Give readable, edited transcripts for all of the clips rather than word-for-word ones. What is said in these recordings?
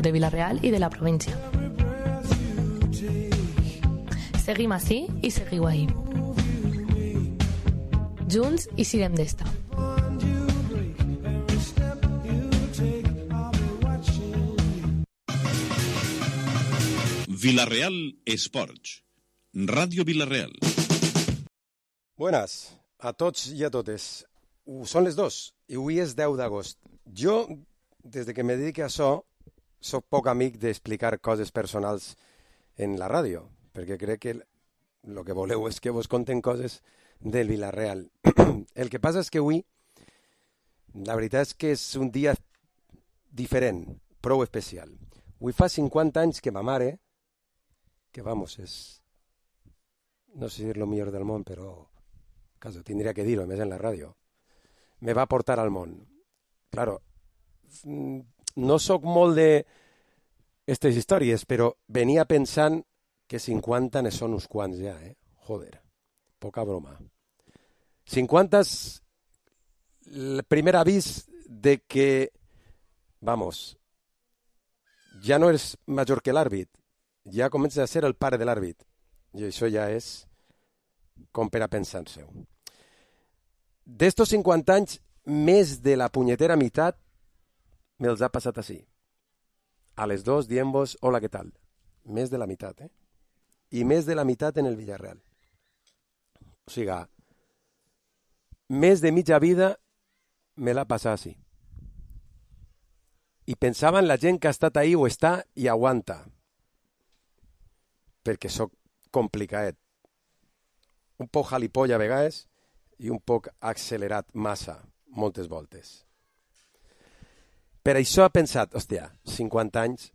de Vila-real i de la província. Seguim ací i seguiu ahí. Junts i sirem d'esta. Vila-real Esports. Ràdio Vila-real. Buenas a tots i a totes. Són les 2 i avui és 10 d'agost. Jo, des que me dedico a això, soc poc amic d'explicar coses personals en la ràdio, perquè crec que el que voleu és que vos conten coses del Vila-real. El que passa és que avui, la veritat és que és un dia diferent, prou especial. Avui fa 50 anys que ma mare, que vamos, és, no sé si és lo millor del món, però caso tindria que dir-ho, més en la ràdio, me va portar al món. Claro, no sóc molt de aquestes històries, però venia pensant que 50 ne són uns quants ja, Joder, poca broma. 50 és el primer avís de que, vamos, ja no eres major que l'àrbit, ja comences a ser el pare de l'àrbit. I això ja és com per a pensar-se-ho. D'estos 50 anys, més de la punyetera meitat me'ls ha passat així. A les 2 dient-vos, hola, què tal? Més de la meitat, I més de la meitat en el Villarreal. O sigui, més de mitja vida me l'ha passat així. I pensava en la gent que ha estat ahí o està i aguanta. Perquè sóc complicat. Un poc jalipolla a vegades i un poc accelerat massa, moltes voltes. Per això he pensat, hòstia, 50 anys,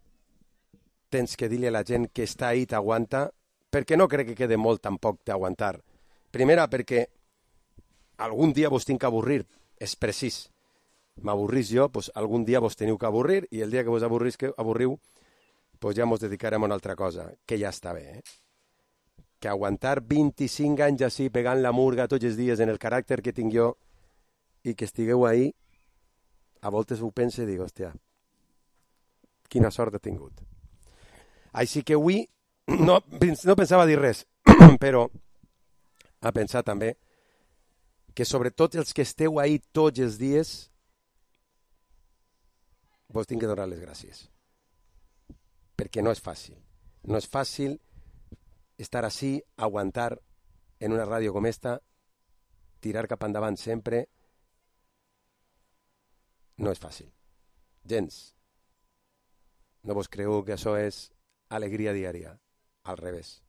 tens que dir-li a la gent que està ahí t'aguanta, perquè no crec que quede molt tampoc d'aguantar. Primera, perquè algun dia vos tinc que avorrir, és precís. M'avorrís jo, doncs algun dia vos teniu que avorrir, i el dia que vos avorriu, doncs ja mos dedicarem a una altra cosa, que ja està bé, Que aguantar 25 anys així pegant la murga tots els dies en el caràcter que tinc jo i que estigueu ahí, a voltes ho pense i dic, hòstia, quina sort he tingut. Així que avui no pensava dir res, però a pensar també que sobretot els que esteu ahí tots els dies vos tinc que donar les gràcies. Perquè no és fàcil. No és fàcil estar així, aguantar en una ràdio com esta, tirar cap endavant sempre, no és fàcil. Gens. No vos creu que això és alegria diària. Al revés.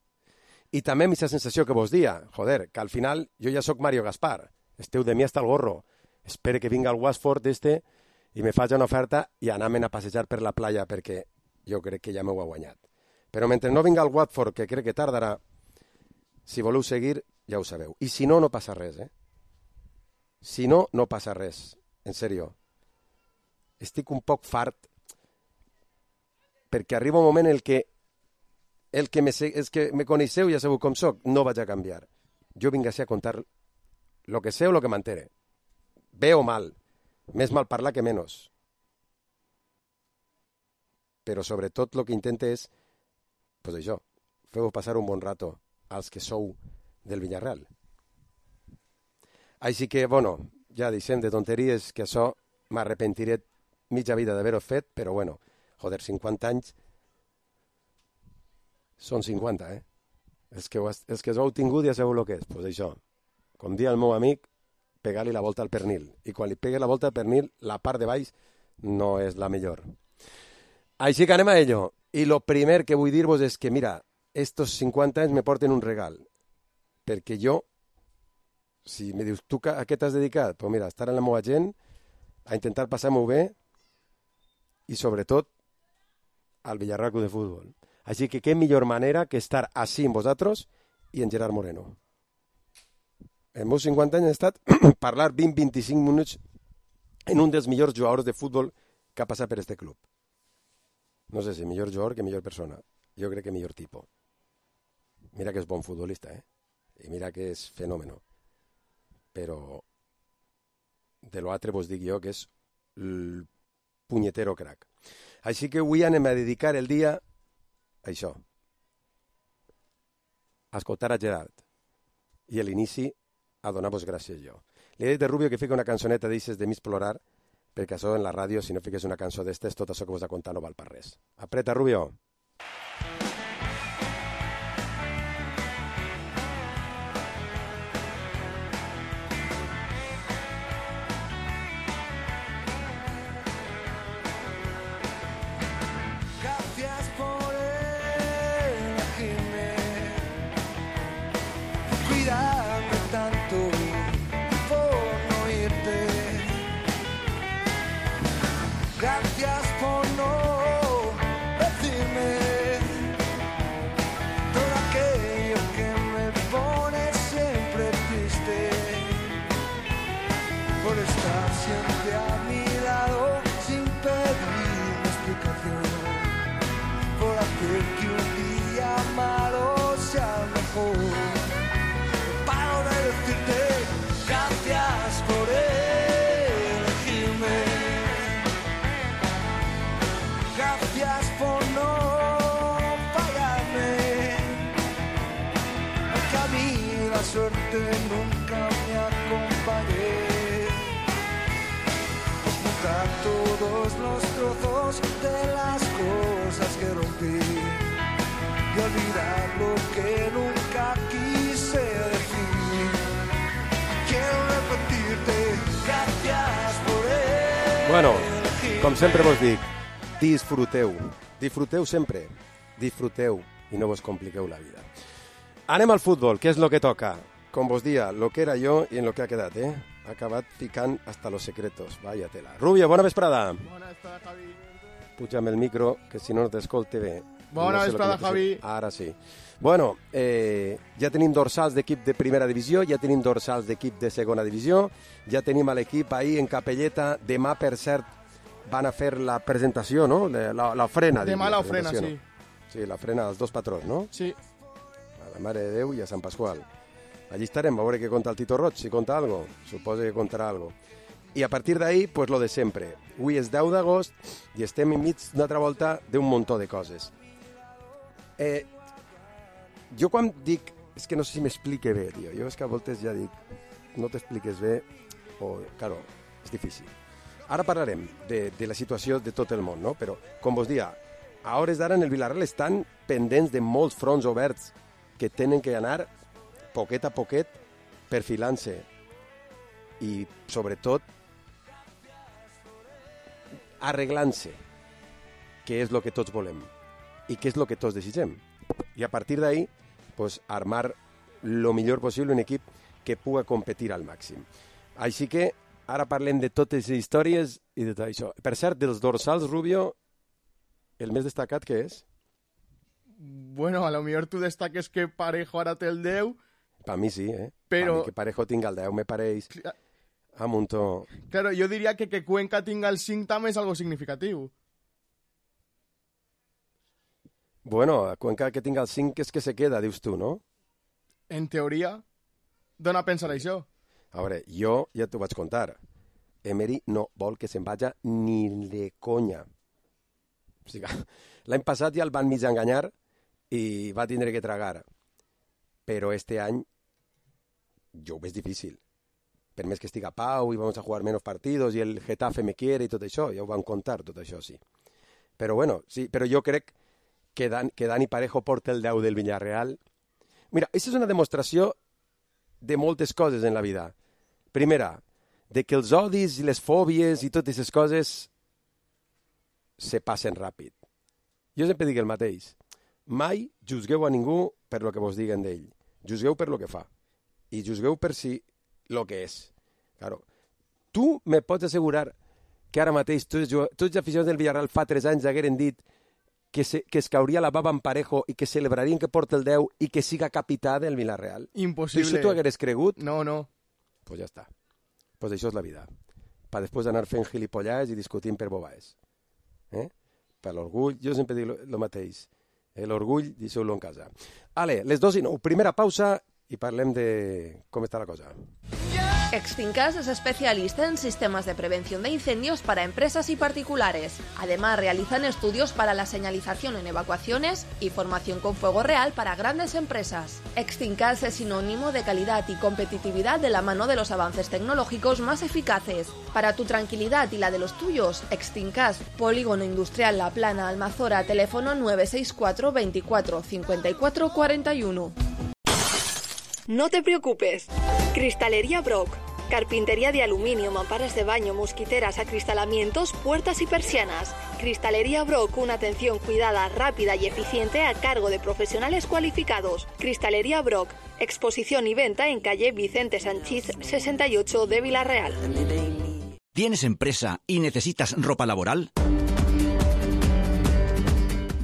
I també amb aquesta sensació que vos dia, joder, que al final jo ja sóc Mario Gaspar, esteu de mi hasta el gorro, espere que vinga el Watford i me faci una oferta i anar-me'n a passejar per la playa perquè jo crec que ja m'ho ha guanyat. Però mentre no vinga el Watford, que crec que tardarà, si voleu seguir, ja ho sabeu. I si no, no passa res, Si no, no passa res. En sèrio. Estic un poc fart perquè arriba un moment en què els que me coneixeu ja sabeu com soc, no vaig a canviar. Jo vinc a contar lo que sé o lo que m'entere. Bé o mal. Més mal parlar que menys. Però sobretot el que intente és pues això, feu passar un bon rato als que sou del Villarreal. Així que, bueno, ja deixem de tonteries, que això m'arrepentiré mitja vida d'haver-ho fet, però bueno, joder, 50 anys són 50, Els que us heu tingut ja sabeu el que és, pues això, com dia el meu amic, pegar-li la volta al pernil. I quan li pegue la volta al pernil, la part de baix no és la millor. Així que anem a ello. I el primer que vull dir-vos és que, mira, estos 50 anys me porten un regal. Perquè jo, si me dius, tu a què t'has dedicat? Pues mira, estar en la meva gent, a intentar passar-m'ho bé i, sobretot, al Villarreal Club de Futbol. Així que què millor manera que estar així amb vosaltres i en Gerard Moreno. Els meus 50 anys han estat parlar 20-25 minuts en un dels millors jugadors de futbol que ha passat per este club. No sé si millor jugador que millor persona. Jo crec que millor tipus. Mira que és bon futbolista, I mira que és fenòmeno. Però de l'altre vos dic jo que és el punyetero crac. Així que avui anem a dedicar el dia a això. A escoltar a Gerard. I a l'inici a donar-vos gràcies jo. Li he dit a Rubio que fica una cançoneta d'eixes de mig plorar, perquè això en la ràdio, si no fiques una cançó d'estes, tot això que vos ha contat no val per res. Apreta, Rubio. Suerte nunca me acompañé. Juntar todos los trozos de las cosas que rompí y olvidar lo que nunca quise decir. Quiero repetirte, gracias por él. Bueno, com sempre vos dic, disfruteu. Disfruteu sempre. Disfruteu i no vos compliqueu la vida. Anem al futbol, que és lo que toca. Com vos dia, lo que era jo i en lo que ha quedat, eh? Ha acabat ficant hasta los secretos. Vaya tela. Rubio, bona vesprada. Bona vesprada, Javi. Puja'm el micro, que si no t'escolte bé. Bona vesprada, Javi. Ara sí. Bueno, ja tenim dorsals d'equip de primera divisió, ja tenim dorsals d'equip de segona divisió, ja tenim a l'equip ahir en Capelleta. Demà, per cert, van a fer la presentació, no? L'ofrena. Demà l'ofrena, sí. Sí, l'ofrena dels dos patrons, no? Sí. A la Mare de Déu i a Sant Pasqual. Allí estarem, a veure què conta el Tito Roig, si conta algo. Suposo que contarà algo. I a partir d'ahí, pues lo de sempre. Avui és 10 d'agost i estem enmig d'una altra volta d'un muntó de coses. Jo quan dic... És que no sé si m'explique bé, tio. Jo és que a voltes ja dic, no t'expliques bé, o, claro, és difícil. Ara parlarem de la situació de tot el món, no? Però, com vos dia, a hores d'ara en el Villarreal estan pendents de molts fronts oberts que tenen que anar poquet a poquet perfilant-se i, sobretot, arreglant-se, que és el que tots volem i que és el que tots desitgem. I a partir d'ahí, pues, armar lo millor possible un equip que puga competir al màxim. Així que ara parlem de totes les històries i de tot això. Per cert, dels dorsals, Rubio, el més destacat què és? Bueno, a lo millor tu destaques que Parejo ara té el 10. Per mi sí, eh? Però... Per mi que Parejo tinga el 10 me pareix a muntó. Claro, yo diría que Cuenca tenga el 5 també és algo significativo. Bueno, a Cuenca que tinga el 5 és que se queda, dius tu, no? En teoria, dona a pensar això. A veure, jo ja t'ho vaig contar. Emery no vol que se'n vaja ni de conya. O sigui, l'any passat ja el van mig enganyar i va tindre que tragar. Però este any jo ho veig difícil. Per més que estiga Pau i vamos a jugar menos partidos i el Getafe me quiere i tot això, ja ho van contar, tot això, sí. Però bueno, sí, però jo crec que Dani Parejo porta el 10 del Villarreal. Mira, això és una demostració de moltes coses en la vida. Primera, de que els odis i les fòbies i totes aquestes coses se passen ràpid. Jo sempre dic el mateix. Mai juzgueu a ningú per lo que vos diguen d'ell. Juzgueu per lo que fa. I juzgueu per si lo que és. Claro. Tu me pots assegurar que ara mateix tots els aficionats del Villarreal fa 3 anys hagueren dit que es cauria la baba en Parejo i que celebrarien que porta el 10 i que siga capità del Villarreal? Impossible. Això tu hagueres cregut? No, no. Pues ja està. Pues això és la vida. Per després anar fent gilipollars i discutint per bobaes. Per l'orgull, jo sempre dic el mateix. L'orgull, deixeu-lo en casa. Ale, les 2:09, primera pausa i parlem de com està la cosa. Yeah! Extincas es especialista en sistemas de prevención de incendios para empresas y particulares. Además, realizan estudios para la señalización en evacuaciones y formación con fuego real para grandes empresas. Extincas es sinónimo de calidad y competitividad de la mano de los avances tecnológicos más eficaces. Para tu tranquilidad y la de los tuyos, Extincas, Polígono Industrial La Plana, Almazora, teléfono 964 24 54 41. No te preocupes. Cristalería Brock. Carpintería de aluminio, mamparas de baño, mosquiteras, acristalamientos, puertas y persianas. Cristalería Brock, una atención cuidada, rápida y eficiente a cargo de profesionales cualificados. Cristalería Brock. Exposición y venta en calle Vicente Sanchís 68 de Vila-real. ¿Tienes empresa y necesitas ropa laboral?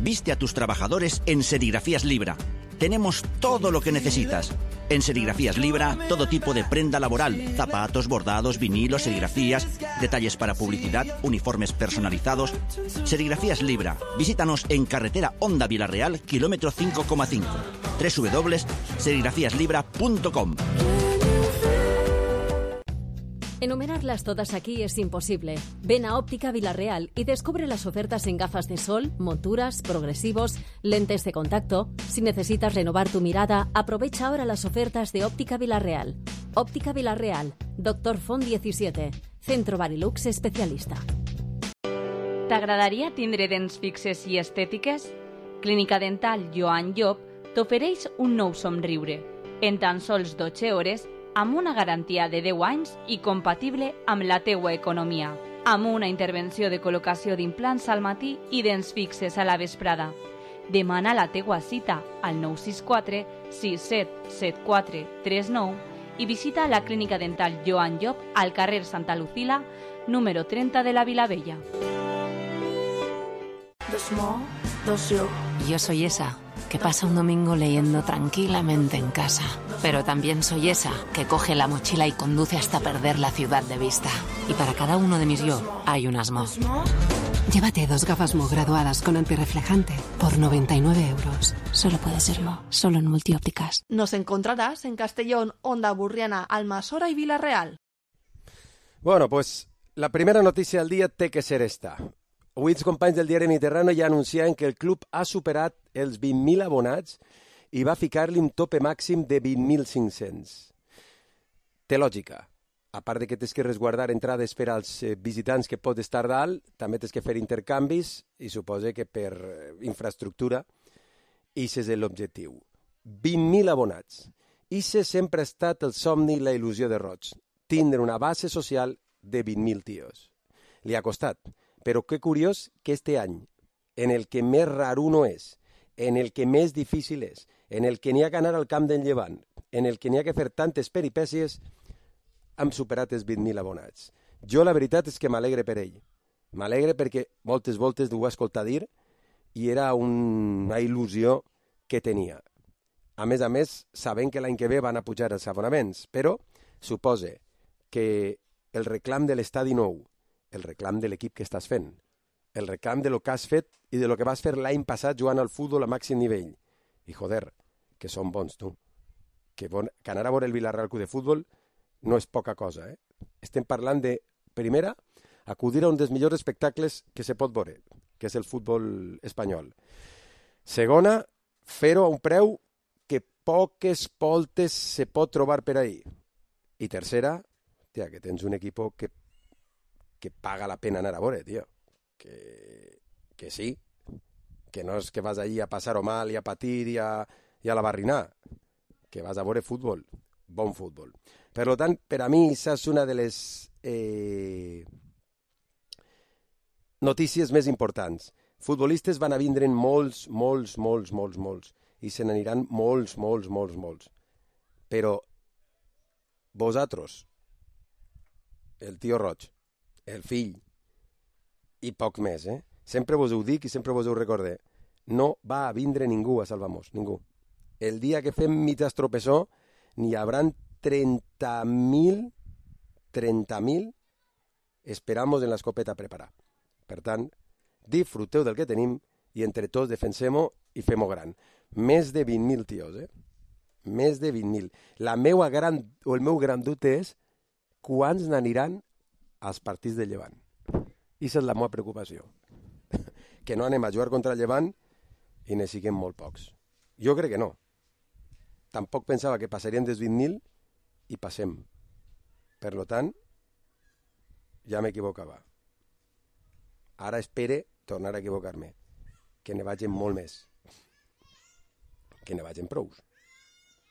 Viste a tus trabajadores en Serigrafías Libra. Tenemos todo lo que necesitas. En Serigrafías Libra, todo tipo de prenda laboral, zapatos, bordados, vinilos, serigrafías, detalles para publicidad, uniformes personalizados. Serigrafías Libra. Visítanos en carretera Honda Vila-real, kilómetro 5,5. www.serigrafiaslibra.com. Enumerarlas todas aquí es imposible. Ven a Óptica Vila-real y descubre las ofertas en gafas de sol, monturas, progresivos, lentes de contacto. Si necesitas renovar tu mirada, aprovecha ahora las ofertas de Óptica Vila-real. Óptica Vila-real, Dr. Font 17, Centro Barilux especialista. T'agradaria tindre dents fixes i estètiques? Clínica Dental Joan Llop t'ofereix un nou somriure. En tan sols 12 hores, amb una garantia de 10 anys i compatible amb la teua economia. Amb una intervenció de col·locació d'implants al matí i dents fixes a la vesprada. Demana la teua cita al 964 6774 39 i visita la Clínica Dental Joan Llop al carrer Santa Lucila, número 30 de la Vilavella. Yo soy esa que pasa un domingo leyendo tranquilamente en casa. Pero también soy esa que coge la mochila y conduce hasta perder la ciudad de vista. Y para cada uno de mis yo hay unas Mo. Llévate 2 gafas Mo graduadas con antirreflejante por 99 euros. Solo puede ser Mo, solo en Multiópticas. Nos encontrarás en Castellón, Onda Burriana, Almasora y Vila-real. Bueno, pues la primera notícia del dia té que ser esta. Avui els companys del diari Mediterrani ja anunciaven que el club ha superat els 20.000 abonats i va ficar-li un tope màxim de 20.500. Té lògica. A part de que tens que resguardar entrades per als visitants que pot estar dalt, també tens que fer intercanvis i suposa que per infraestructura ix és l'objectiu. 20.000 abonats. Ix sempre ha estat el somni i la il·lusió de Roig. Tindre una base social de 20.000 tios. Li ha costat. Però que curiós que este any, en el que més raruno és, en el que més difícil és, en el que n'hi ha que anar al camp del Llevant, en el que n'hi ha que fer tantes peripècies, hem superat els 20.000 abonats. Jo la veritat és que m'alegre per ell. M'alegre perquè moltes voltes ho va escoltar dir i era una il·lusió que tenia. A més, sabent que l'any que ve van a pujar els abonaments, però supose que el reclam de l'estadi nou, el reclam de l'equip que estàs fent, el reclam de lo que has fet i de lo que vas fer l'any passat jugant al futbol a màxim nivell. I joder, que són bons, tu. Que anar a veure el Vila-real Club de Futbol no és poca cosa, eh? Estem parlant de, primera, acudir a un dels millors espectacles que se pot veure, que és el futbol espanyol. Segona, fer-ho a un preu que poques voltes se pot trobar per ahí. I tercera, tia, que tens un equip que paga la pena anar a veure, tio. Que sí, que no és que vas allí a passar-ho mal i a patir i a la barrinar, que vas a veure futbol, bon futbol. Per tant, per a mi, això és una de les notícies més importants. Futbolistes van a vindre'n molts, i se n'aniran molts. Però vosaltres, el tio Roig, el fill, i poc més, sempre vos ho dic i sempre vos ho recordé, no va a vindre ningú a Salvamos, ningú. El dia que fem mig estropessó, n'hi haurà 30.000 esperamos en l'escopeta a preparar. Per tant, disfruteu del que tenim i entre tots defensem-ho i fem-ho gran. Més de 20.000 tios, Més de 20.000. El meu gran dubte és quants n'aniran als partits de Llevant. I és la meva preocupació. Que no anem a jugar contra el Llevant i ne siguem molt pocs. Jo crec que no. Tampoc pensava que passarien dels 20.000 i passem. Per tant, ja m'equivocava. Ara espere tornar a equivocar-me. Que ne vagin molt més. Que ne vagin prous.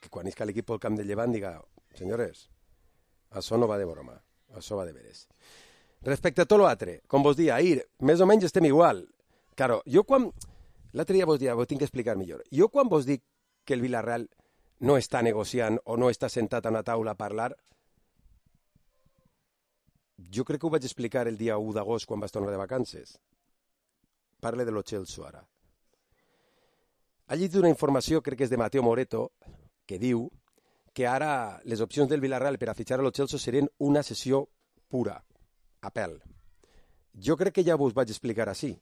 Que quan isca l'equip al camp del Llevant diga, senyores, això no va de broma, això va de veres. Respecte a tot l'altre, com vos dia, ahir, més o menys estem igual. Claro, jo quan... L'altre dia vos dia, vos tinc que explicar millor. Jo quan vos dic que el Villarreal no està negociant o no està sentat a una taula a parlar, jo crec que ho vaig explicar el dia 1 d'agost quan vas tornar de vacances. Parle de lo Celso ara. Ha llegit una informació, crec que és de Mateo Moreto, que diu que ara les opcions del Villarreal per a fitxar a lo Celso serien una sessió pura, a pèl. Jo crec que ja vos vaig explicar així.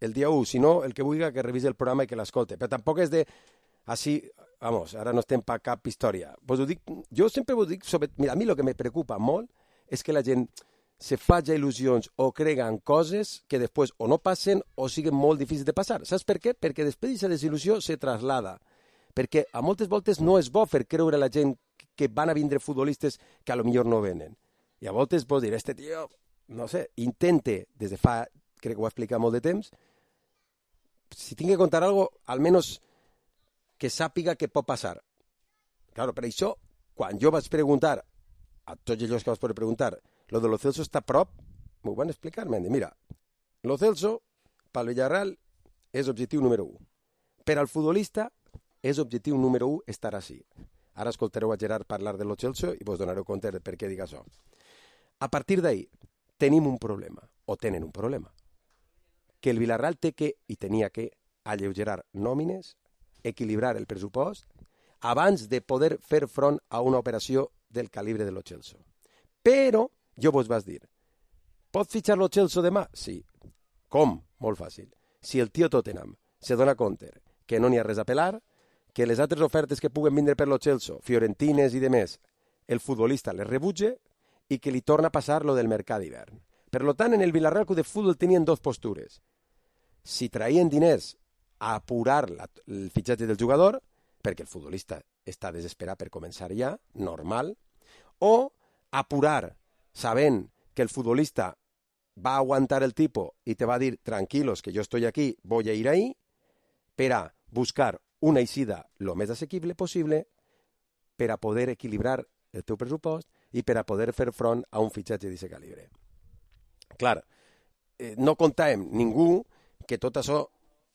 El dia 1, si no, el que vulgui que revisi el programa i que l'escolte. Però tampoc és de... Així, vamos, ara no estem per cap història. Vos ho dic, jo sempre vos dic sobre... Mira, a mi el que me preocupa molt és que la gent se faci il·lusions o creguen coses que després o no passen o siguen molt difícils de passar. Saps per què? Perquè després d'aquesta desil·lusió se traslada. Perquè a moltes voltes no és bo fer creure a la gent que van a vindre futbolistes que a lo millor no venen. I a voltes pots dir, este tio, no sé, intente, des de fa, crec que ho va explicar molt de temps, si tinc que contar algo, almenys que sàpiga què pot passar. Claro, per això, quan jo vaig preguntar a tots ells que vas poder preguntar, lo de Lo Celso està a prop, m'ho van explicar, m'han dit, mira, Lo Celso, pel Villarreal, és objectiu número 1. Per al futbolista, és objectiu número 1 estar així. Ara escoltareu a Gerard parlar de Lo Celso i vos donareu compte de per què dic això. A partir d'ahir, tenim un problema, o tenen un problema, que el Villarreal té que, i tenia que, alleugerar nòmines, equilibrar el pressupost, abans de poder fer front a una operació del calibre de Lo Celso. Però, jo vos vas dir, pot fitxar Lo Celso demà? Sí. Com? Molt fàcil. Si el tio Tottenham se dona compte que no n'hi ha res a pelar, que les altres ofertes que puguen vindre per Lo Celso, Fiorentines i demés, el futbolista les rebutge i que li torna a passar lo del mercat d'hivern. Per tant, en el Villarreal Club de Futbol tenien dues postures. Si traien diners a apurar el fitxatge del jugador, perquè el futbolista està desesperat per començar ja, normal, o apurar sabent que el futbolista va aguantar el tipo i te va dir, tranquilos, que jo estoy aquí, voy a ir ahí, per a buscar una eixida lo més assequible possible per a poder equilibrar el teu pressupost i per a poder fer front a un fitxatge d'aquest calibre. Clar, no contàvem ningú que tot això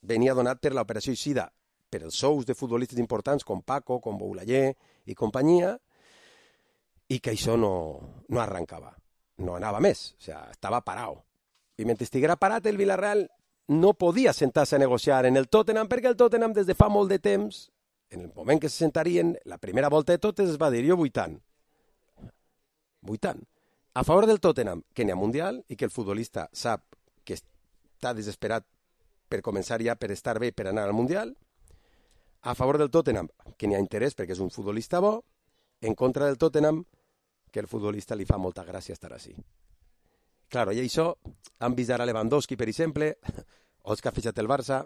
venia donat per l'operació eixida per els sous de futbolistes importants com Paco, com Boulaye i companyia, i que això no arrencava, no anava més, o sigui, estava parat. I mentre estiguera parat, el Villarreal no podia sentar-se a negociar en el Tottenham, perquè el Tottenham des de fa molt de temps, en el moment que se sentarien, la primera volta de totes es va dir, jo vull tant. A favor del Tottenham, que n'hi ha Mundial i que el futbolista sap que està desesperat per començar ja, per estar bé, per anar al Mundial. A favor del Tottenham, que n'hi ha interès perquè és un futbolista bo. En contra del Tottenham, que el futbolista li fa molta gràcia estar així. Claro, i això han vist ara Lewandowski, per exemple, o els que ha fitxat el Barça,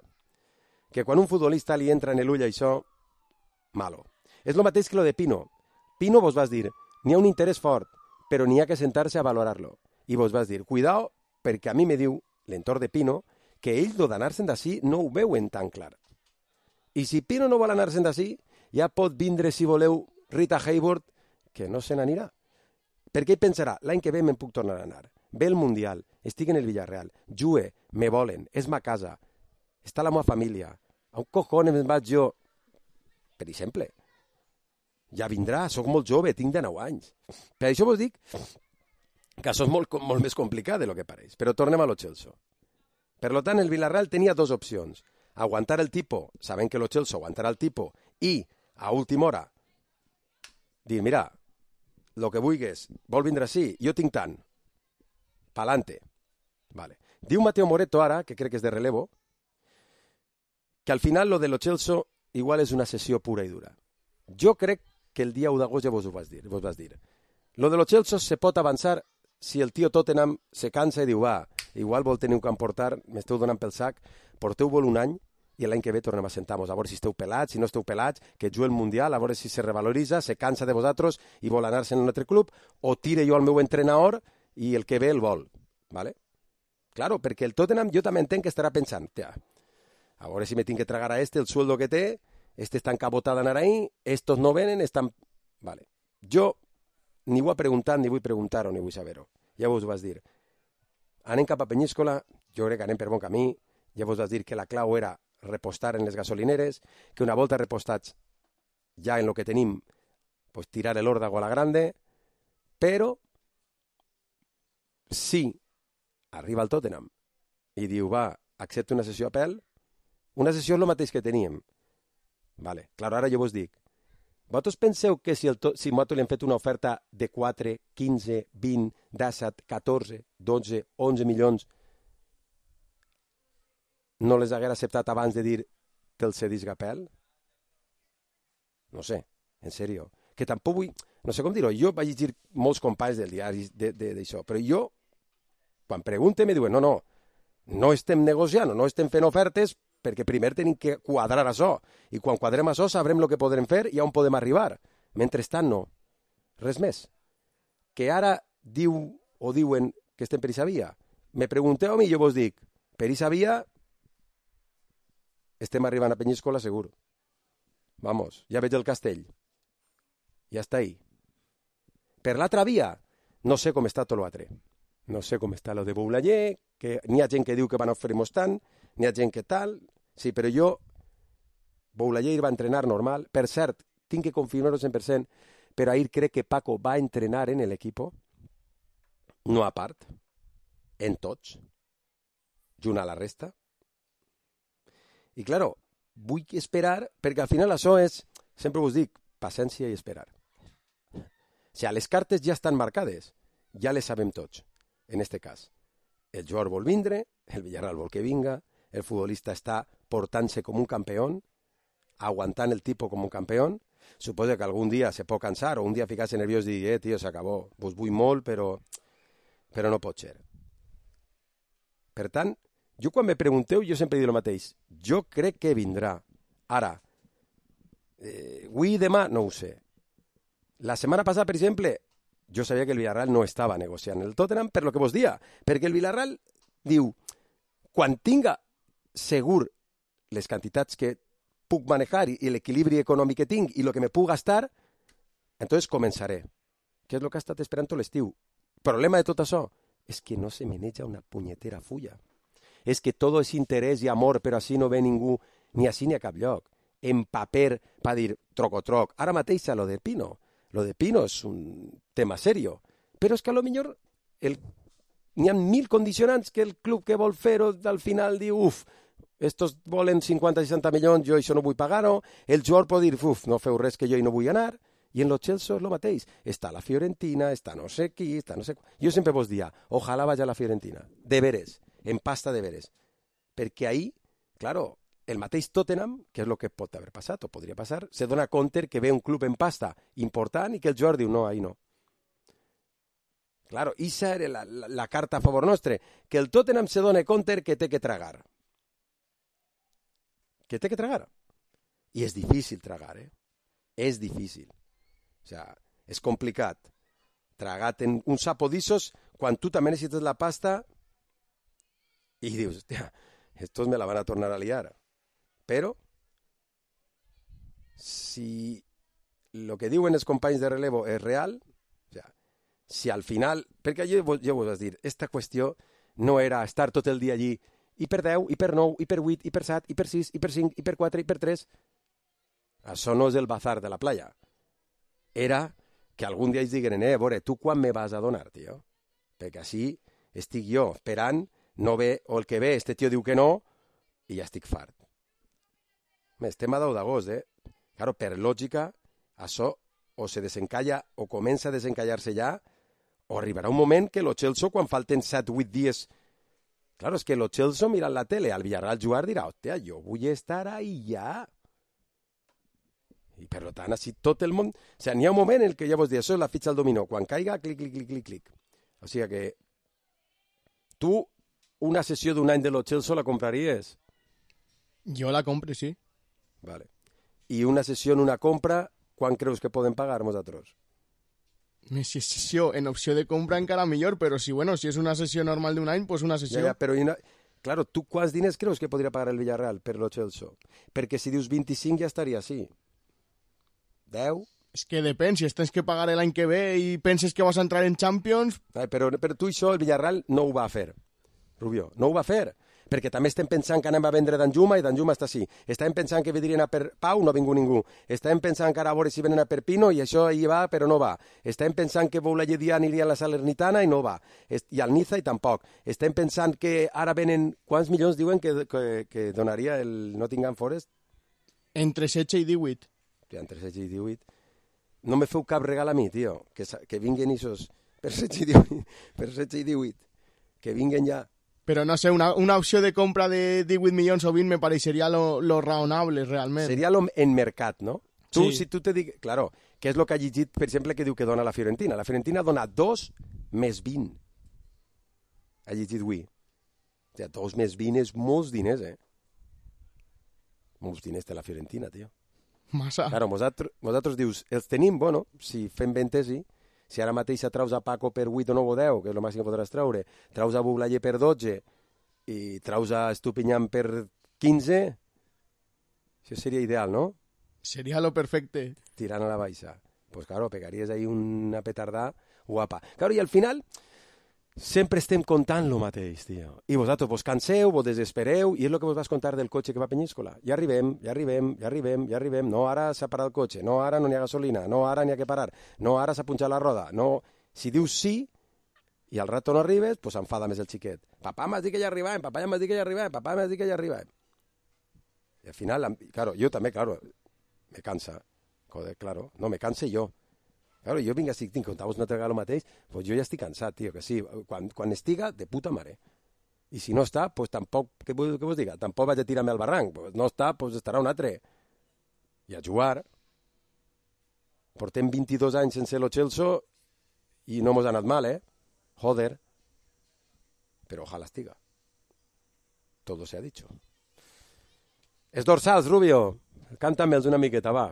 que quan un futbolista li entra en l'ull això, malo. És el mateix que lo de Pino. Pino vos vas dir, n'hi ha un interès fort, però n'hi ha que sentar-se a valorar-lo. I vos vas dir, cuidao, perquè a mi me diu, l'entorn de Pino, que ells lo d'anar-se'n d'ací no ho veuen tan clar. I si Pino no vol anar-se'n d'ací, ja pot vindre, si voleu, Rita Hayworth, que no se n'anirà. Perquè ell pensarà, l'any que ve me'n puc tornar a anar. Ve el Mundial, estic en el Villarreal, jugue, me volen, és ma casa, està la meva família, a un cojones me'n vaig jo, per exemple. Ja vindrà, sóc molt jove, tinc 19 anys. Per això vos dic que això és molt més complicat del que pareix. Però tornem a Lo Celso. Per tant, el Villarreal tenia dues opcions. Aguantar el tipo, sabent que Lo Celso aguantarà el tipo, i, a última hora, dir, mira, el que vulguis, vol vindre així, jo tinc tant. Pa'lante. Vale. Diu Mateo Moreto ara, que crec que és de relevo, que al final lo de Lo Celso igual és una sessió pura i dura. Jo crec que el dia 1 d'agost ja vos vas dir. Lo de los Chelsea se pot avançar si el tio Tottenham se cansa i diu, va, igual vol tenir un camp portar, m'esteu donant pel sac, porteu-vos un any i l'any que ve tornem a sentar-nos, a veure si esteu pelats, si no esteu pelats, que jugui el Mundial, a veure si se revaloritza, se cansa de vosaltres i vol anar-se en un altre club, o tire jo al meu entrenador i el que ve el vol. ¿Vale? Claro, perquè el Tottenham jo també entenc que estarà pensant, tia, a veure si me tinc que tragar a el sueldo que té, està encabotat d'anar ahí, estos no venen, estan... Vale. Jo ni ho he preguntat, ni vull preguntar-ho, ni vull saber-ho. Ja vos ho vas dir. Anem cap a Penyíscola, jo crec que anem per bon camí, ja vos vas dir que la clau era repostar en les gasolineres, que una volta repostats ja en lo que tenim, pues tirar l'òrdago a la grande, però si arriba el Tottenham i diu, va, accepta una sessió a pèl, una sessió és el mateix que teníem. Vale, clar, ara jo vos dic, vosaltres penseu que si nosaltres li hem fet una oferta de 4, 15, 20, 17, 14, 12, 11 milions, no les haguera acceptat abans de dir que el cedisc a pèl? No sé, en sèrio. Que tampoc vull... No sé com dir-ho. Jo vaig llegir molts companys del diari d'això, però jo, quan pregunte, me diuen, no estem negociant, no estem fent ofertes, perquè primer tenim que quadrar això. I quan quadrem això sabrem el que podrem fer i on podem arribar. Mentrestant, no. Res més. Que ara diuen que estem per aquesta via. Me pregunteu a mi i jo vos dic, per aquesta via estem arribant a Penyíscola segur. Vamos, ja veig el castell. Ja està ahí. Per l'altra via, no sé com està tot l'altre. No sé com està lo de Boulanger, que n'hi ha gent que diu que van oferir-nos tant, n'hi ha gent que tal... Sí, però jo, Boulanger va entrenar normal. Per cert, tinc que confirmar-ho 100%, però ahir crec que Paco va entrenar en l'equip, no a part, en tots, junt a la resta. I, claro, vull esperar, perquè al final això és, sempre us dic, paciència i esperar. O sigui, les cartes ja estan marcades, ja les sabem tots, en este cas. El jugador vol vindre, el Villarreal vol que vinga, el futbolista està portant-se com un campió, aguantant el tipus com un campió. Suposo que algun dia se pot cansar o un dia ficar-se nerviós i dir, tio, s'acabó, vos vull molt, però no pot ser. Per tant, jo quan me pregunteu, jo sempre dic el mateix. Jo crec que vindrà. Ara, avui i demà, no ho sé. La setmana passada, per exemple, jo sabia que el Villarreal no estava negociant el Tottenham per lo que vos dia, perquè el Villarreal diu, quan tinga segur les quantitats que puc manejar i l'equilibri econòmic que tinc i el que me puc gastar, entonces començaré. Què és el que ha estat esperant tot l'estiu? El problema de tot això és que no se maneja una punyetera fulla. És que tot és interès i amor, però així no ve ningú, ni així ni a cap lloc. En paper, per dir troc. Ara mateix a lo de Pino. Lo de Pino és un tema serio. Però és que a lo millor n'hi ha 1000 condicionants que el club que vol fer-ho al final diu, estos volen 50-60 milions, jo això no vull pagar-ho, el jugador pot dir, no feu res que jo no vull anar, i en los Chelsea és el mateix. Està la Fiorentina, està no sé qui, està no sé... Jo sempre vos dia, ojalà vagi a la Fiorentina, de veres, en pasta de veres, perquè ahí, claro, el mateix Tottenham, que és el que pot haver passat, o podria passar, se dona compte que ve un club en pasta important i que el jugador diu, no, ahí no. Claro, esa era la carta a favor nostre, que el Tottenham se dona compte que té que tragar. Que té que tragar. I és difícil tragar, És difícil. O sea, és complicat. Tragat en un sapo d'issos quan tu també necessites la pasta i dius, hòstia, estos me la van a tornar a liar. Però, si lo que diuen els companys de relevo és real, o sea, si al final... Perquè jo vos vaig dir, esta qüestió no era estar tot el dia allí i per 10, i per 9, i per 8, i per 7, i per 6, i per 5, i per 4, i per 3. Això no és el bazar de la playa. Era que algun dia ells diguen, a veure, tu quan me vas a donar, tio? Perquè així estic jo esperant, no ve, o el que ve, este tio diu que no, i ja estic fart. Estem a 10 d'agost, Claro, per lògica, això o se desencalla o comença a desencallar-se ja, o arribarà un moment que lo Chelsea, quan falten 7-8 dies... Claro, és que lo Chelsea mirant la tele, al Villarreal jugar dirà, hòstia, jo vull estar ahí ja. I per tant, així tot el món... O sigui, n'hi ha un moment en què ja vos dir, això és la fitxa al dominó. Quan caiga, clic, clic, clic, clic, clic. O sigui que tu una sessió d'un any de lo Chelsea la compraries? Jo la compre, sí. Vale. I una sessió en una compra, quan creus que podem pagar nosaltres? Si és sessió en opció de compra encara millor, però si és una sessió normal d'un any, pues una sessió. Ja, però claro, tu quants diners creus que podria pagar el Villarreal per lo Chelsea? Perquè si dius 25 ja estaria així. 10? És que depèn, si tens que pagar l'any que ve i penses que vas a entrar en Champions... Però tu això el Villarreal no ho va fer, Rubio, no ho va fer. Perquè també estem pensant que anem a vendre Danjuma i Danjuma està així. Estàvem pensant que vindrien a per Pau, no ha vingut ningú. Estàvem pensant que ara a veure si venen a Perpino i això hi va, però no va. Estàvem pensant que Boulaye Dia aniria a la Salernitana i no va. I al Niza i tampoc. Estem pensant que ara venen... Quants milions diuen que donaria el Nottingham Forest? Entre 16 i 18. Ja, entre 16 i 18. No me feu cap regal a mi, tio. Que vinguin isos per 16 i 18. Que vinguin ja... Però no sé, una opció de compra de 18 milions o 20 me pareixeria lo raonable, realment. Seria lo en mercat, no? Tu, sí. Si tu te dic... Claro, què és el que ha llegit, per exemple, que diu que dona la Fiorentina? La Fiorentina dona 2 més 20. Ha llegit avui. O sigui, 2 més 20 és molts diners, Molts diners té la Fiorentina, tio. Massa. Claro, vosaltres dius, els tenim, bueno, si fem ventesi, si ara mateix treus a Paco per 8 o 9 o 10, que és el màxim que podràs treure, treus a Boulaye per 12 i treus a Estupinyán per 15, això seria ideal, no? Seria lo perfecte. Tirant a la baixa. Pues claro, pegaries ahí una petardà guapa. Claro, i al final sempre estem contant lo mateix, tio. I vosaltres vos canseu, vos desespereu, i és el que vos vas contar del cotxe que va a Penyíscola. Ja arribem. No, ara s'ha parat el cotxe. No, ara no n'hi ha gasolina. No, ara n'hi ha que parar. No, ara s'ha punxat la roda. No, si dius sí, i al rato no arribes, pues s'enfada més el xiquet. Papà m'has dit que ja arribem, papà m'has dit que ja arribem. I al final, claro, jo també, claro, me cansa. Joder, claro, no, me canse jo. Claro, jo vinc així, contau-vos una altra vegada el mateix, pues jo ja estic cansat, tio, que sí, quan estiga, de puta mare. I si no està, pues tampoc, què vos diga? Tampoc vaig a tirar-me al barranc, pues no està, pues estarà un altre. I a jugar. Portem 22 anys sense lo Chelsea i no mos ha anat mal, Joder. Però ojalá estiga. Todo se ha dicho. Els dorsals, Rubio, cántame'ls una miqueta, va.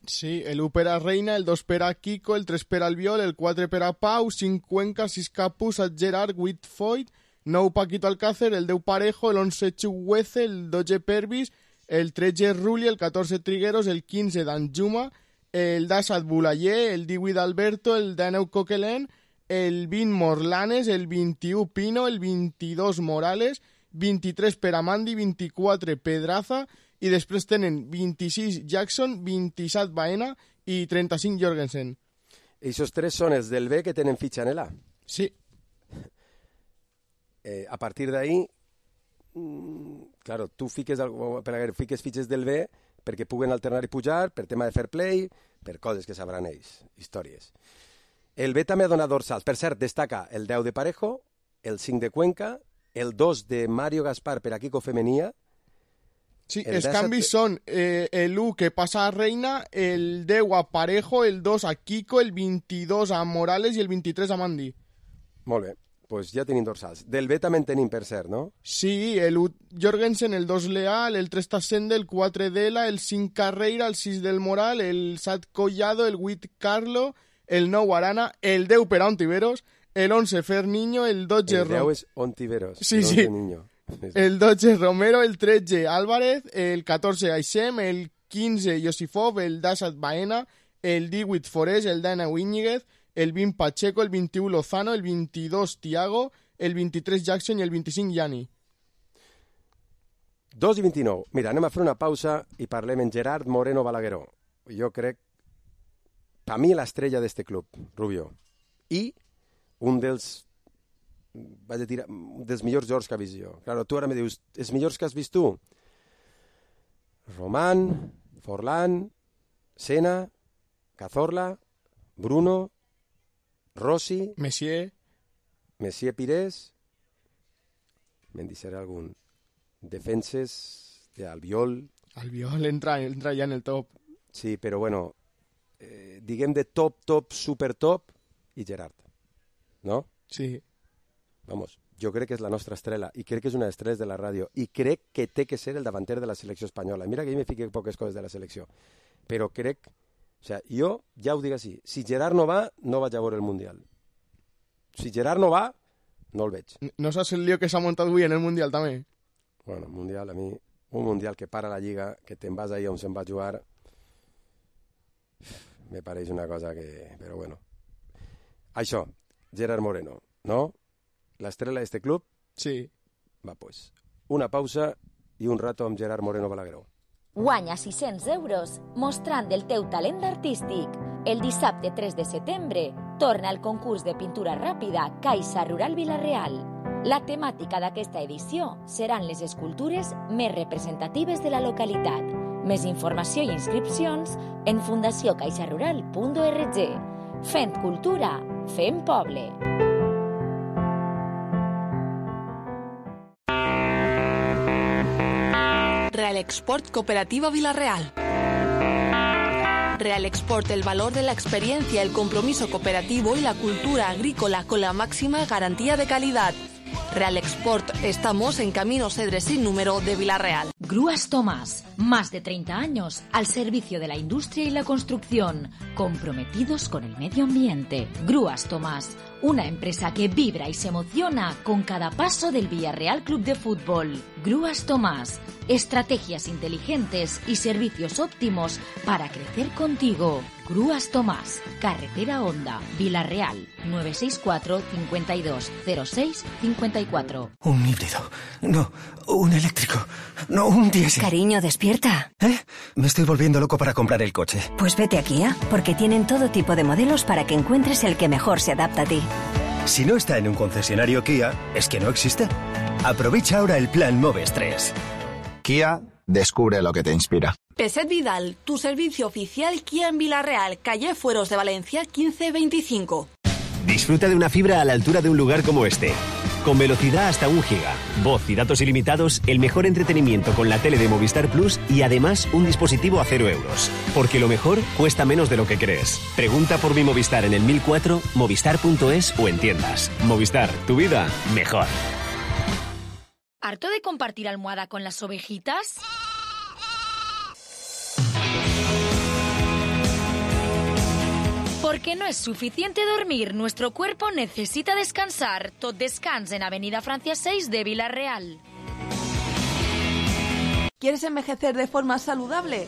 Sí, el 1 per a Reina, el 2 per a Kiko, el 3 per al Viol, el 4 per a Pau, 5 Cuenca, 6 Capus, 7 Gerard, 8 Foyt, 9 Paquito Alcácer, el 10 Parejo, el 11 Chuguece, el 12 Pervis, el 13 Rulli, el 14 Trigueros, el 15 Danjuma, el 17 Boulaye, el 18 Alberto, el 19 Coquelin, el 20 Morlanes, el 21 Pino, el 22 Morales, 23 per a Mandi, 24 Pedraza, i després tenen 26 Jackson, 27 Baena i 35 Jorgensen. I aquests 3 són els del B que tenen fitxa en l'A. Sí. A partir d'ahí, claro, tu fiques fitxes del B perquè puguen alternar i pujar, per tema de fair play, per coses que sabran ells, històries. El B també ha donat dorsals. Per cert, destaca el 10 de Parejo, el 5 de Cuenca, el 2 de Mario Gaspar per a Kiko Femenia. Sí, els canvis són el 1 que passa a Reina, el 10 a Parejo, el 2 a Kiko, el 22 a Morales i el 23 a Mandi. Molt bé, doncs ja tenim dorsals. Del B també en tenim, per cert, no? Sí, el 1 Jorgensen, el 2 Leal, el 3 Tassende, el 4 Dela, el 5 Carreira, el 6 del Moral, el 7 Collado, el 8 Carlo, el 9 Arana, el 10 per a Ontiveros, el 11 Ferniño, el 12 El 10 és Ontiveros, sí, sí. Niño. El 12 Romero, el 13 Álvarez, el 14 Aixem, el 15 Josifov, el 17 Baena, el 18 Forés, el 19 Íñiguez, el 20 Pacheco, el 21 Lozano, el 22 Tiago, el 23 Jackson i el 25 Yani. 2 i 29. Mira, anem a fer una pausa i parlem en Gerard Moreno Balagueró. Jo crec, per mi, l'estrella d'este club, Rubio. I un dels millors jocs que ha vist jo. Claro, tu ara me dius, els millors que has vist tu? Román, Forlán, Sena, Cazorla, Bruno, Rossi, Messier Pires, me'n deixaré algun. Defenses d'Albiol. Albiol entra ja en el top. Sí, però bueno, diguem de top, super top i Gerard, no? Sí. Vamos, jo crec que és la nostra estrella i crec que és una estrella de la ràdio i crec que té que ser el davanter de la selecció espanyola. Mira que jo me fique poques coses de la selecció, però crec, o sea, jo ja ho dic així, si Gerard no va, no vaig a veure el Mundial. Si Gerard no va, no el veig. No saps el lío que s'ha muntat avui en el Mundial, també? Bueno, el Mundial, a mi, un Mundial que para la Lliga, que te'n vas ahir on se'n va jugar, me pareix una cosa que... Però bueno. Això, Gerard Moreno, no? L'estrella d'este club? Sí. Va, pues, una pausa i un rato amb Gerard Moreno Balagueró. Guanya 600 euros mostrant el teu talent artístic. El dissabte 3 de setembre torna el concurs de pintura ràpida Caixa Rural Vila-real. La temàtica d'aquesta edició seran les escultures més representatives de la localitat. Més informació i inscripcions en fundaciocaixarural.org. Fent cultura, fem poble. Real Export Cooperativa Vila-real. Real Export, el valor de la experiencia, el compromiso cooperativo y la cultura agrícola con la máxima garantía de calidad. Real Export, estamos en Camino Cedres sin número de Vila-real. Grúas Tomás, más de 30 años al servicio de la industria y la construcción, comprometidos con el medio ambiente. Grúas Tomás, una empresa que vibra y se emociona con cada paso del Villarreal Club de Fútbol. Grúas Tomás, estrategias inteligentes y servicios óptimos para crecer contigo. Grúas Tomás, Carretera Honda, Vila-real, 964 52 06 54. Un híbrido. No, un eléctrico. No, un diésel. Cariño, despierta. Me estoy volviendo loco para comprar el coche. Pues vete a Kia, porque tienen todo tipo de modelos para que encuentres el que mejor se adapta a ti. Si no está en un concesionario Kia, es que no existe. Aprovecha ahora el plan Moves 3. Kia, descubre lo que te inspira. Peset Vidal, tu servicio oficial Kia en Vila-real, calle Fueros de Valencia 1525. Disfruta de una fibra a la altura de un lugar como este. Con velocidad hasta 1 giga, voz y datos ilimitados, el mejor entretenimiento con la tele de Movistar Plus y además un dispositivo a 0 euros. Porque lo mejor cuesta menos de lo que crees. Pregunta por mi Movistar en el 1004, movistar.es o en tiendas. Movistar, tu vida mejor. ¿Harto de compartir almohada con las ovejitas? Porque no es suficiente dormir, nuestro cuerpo necesita descansar. Tot Descans en Avenida Francia 6 de Vila-real. ¿Quieres envejecer de forma saludable?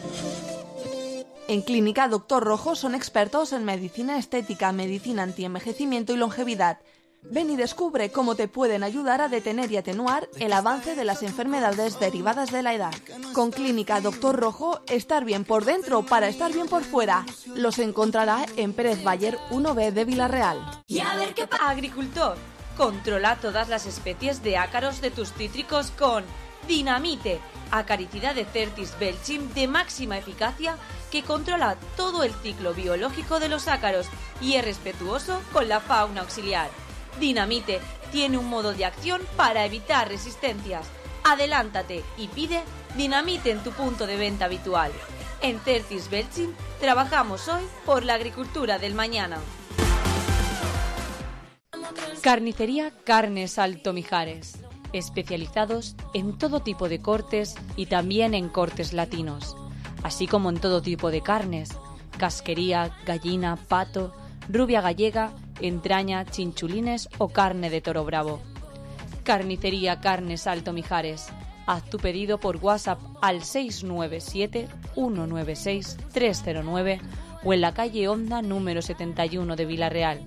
En Clínica Doctor Rojo son expertos en medicina estética, medicina antienvejecimiento y longevidad. Ven y descubre cómo te pueden ayudar a detener y atenuar el avance de las enfermedades derivadas de la edad. Con Clínica Doctor Rojo, estar bien por dentro para estar bien por fuera. Los encontrará en Pérez Bayer 1B de Vila-real. Y a ver qué pasa. Agricultor, controla todas las especies de ácaros de tus cítricos con Dinamite, acaricida de Certis Belchim de máxima eficacia que controla todo el ciclo biológico de los ácaros y es respetuoso con la fauna auxiliar. Dinamite tiene un modo de acción para evitar resistencias. Adelántate y pide Dinamite en tu punto de venta habitual. En Certis Belchim trabajamos hoy por la agricultura del mañana. Carnicería Carnes Alto Mijares. Especializados en todo tipo de cortes y también en cortes latinos, así como en todo tipo de carnes, casquería, gallina, pato, rubia gallega, entraña, chinchulines o carne de toro bravo. Carnicería Carnes Alto Mijares. Haz tu pedido por WhatsApp al 697-196-309 o en la calle Honda número 71 de Vila-real.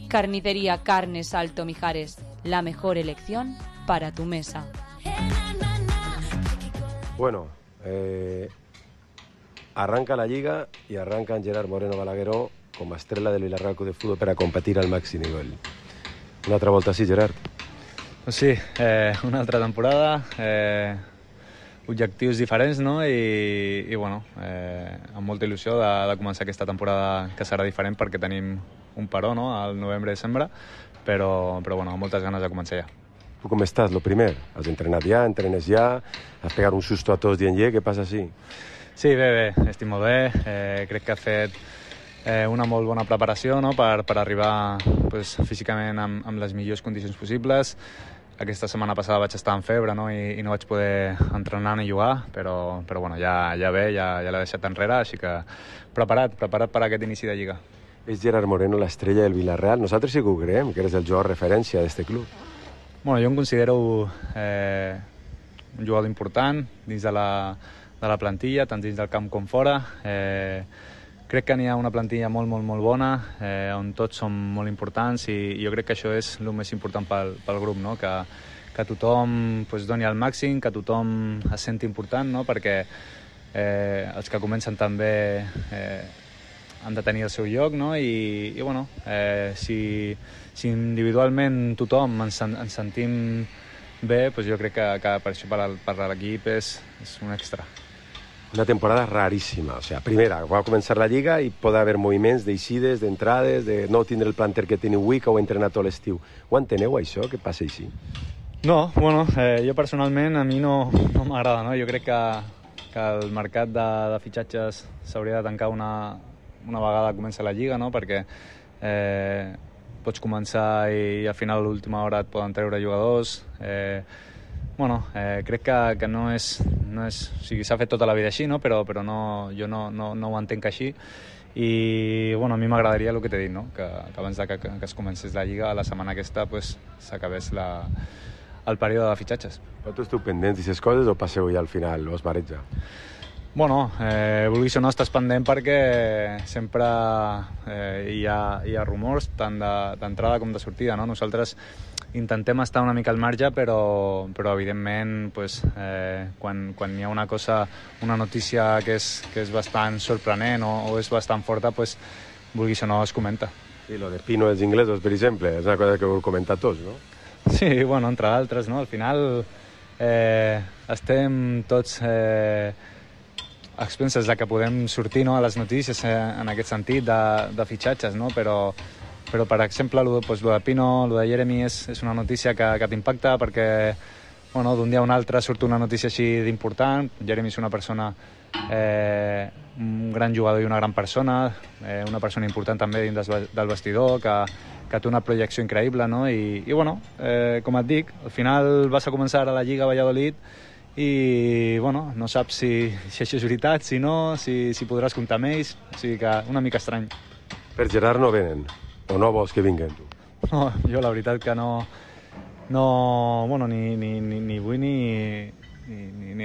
Carnicería Carnes Alto Mijares. La mejor elección para tu mesa. Bueno, arranca la Lliga i arranca en Gerard Moreno Balagueró com a estrella del Villarreal Club de Fútbol per a competir al màxim nivell. Una altra volta sí, Gerard? Pues sí, una altra temporada, objectius diferents, no? I bueno, amb molta il·lusió de començar aquesta temporada que serà diferent perquè tenim un paró, no?, al novembre-desembre, però bueno, amb moltes ganes de començar ja. ¿Tú cómo estás? Lo primer, ¿has entrenat ja, entrenes ja, has pegat un susto a tots dient què passa així? Sí, bé, estic molt bé. Crec que ha fet una molt bona preparació, no?, per arribar pues, físicament amb les millors condicions possibles. Aquesta setmana passada vaig estar en febre, no?, i no vaig poder entrenar ni jugar, però bueno, ja bé, ja l'he deixat enrere, així que preparat per aquest inici de Lliga. És Gerard Moreno l'estrella del Villarreal. Nosaltres sí que ho creiem, que eres el jugador referència d'aquest club. Bueno, jo em considero un jugador important dins de la plantilla, tant dins del camp com fora. Crec que n'hi ha una plantilla molt bona, on tots som molt importants, i jo crec que això és el més important pel grup, no? Que tothom pues, doni el màxim, que tothom es senti important, no? Perquè els que comencen també han de tenir el seu lloc, no? I bueno, si individualment tothom ens sentim bé, pues jo crec que per això per l'equip és un extra. Una temporada raríssima. O sea, primera, va començar la Lliga i pot haver moviments d'eixides, d'entrades, de no tindre el planter que teniu avui, que heu entrenat tot l'estiu. Ho enteneu, això, que passa així? No, bueno, jo personalment a mi no m'agrada, no? Jo crec que el mercat de fitxatges s'hauria de tancar una vegada comença la Lliga, no? Perquè pots començar i al final a l'última hora et poden treure jugadors. Crec que no és... O sigui, s'ha fet tota la vida així, no? Però jo no ho entenc així. I bueno, a mi m'agradaria el que t'he dit, no? Que abans que es comencés la Lliga, la setmana aquesta pues, s'acabés el període de fitxatges. Però tu esteu pendents d'aquestes coses o passeu ja al final, o es bareja? Bueno, vulguis o no, estàs pendent perquè sempre hi ha rumors tant d'entrada com de sortida, no? Nosaltres intentem estar una mica al marge, però evidentment pues, quan hi ha una notícia que és bastant sorprenent o és bastant forta, pues, vulguis o no, es comenta. Sí, lo de Pino dels inglesos, per exemple, és una cosa que heu comentat tots, no? Sí, bueno, entre d'altres, no? Al final estem tots a expenses de que podem sortir, no?, a les notícies en aquest sentit de fitxatges, no? Però per exemple, lo de Pino, lo de Jeremy és una notícia que t'impacta perquè bueno, d'un dia a un altre surt una notícia així d'important. Jeremy és una persona, un gran jugador i una gran persona, una persona important també dins del vestidor, que té una projecció increïble, no? I bueno, com et dic, al final vas a començar a la Lliga Valladolid i bueno, no saps si això és veritat, si no, si podràs comptar amb ells, o sigui que una mica estrany. Per Gerard no venen, o no vols que vinguen, tu? No, jo la veritat que no bueno, ni vull ni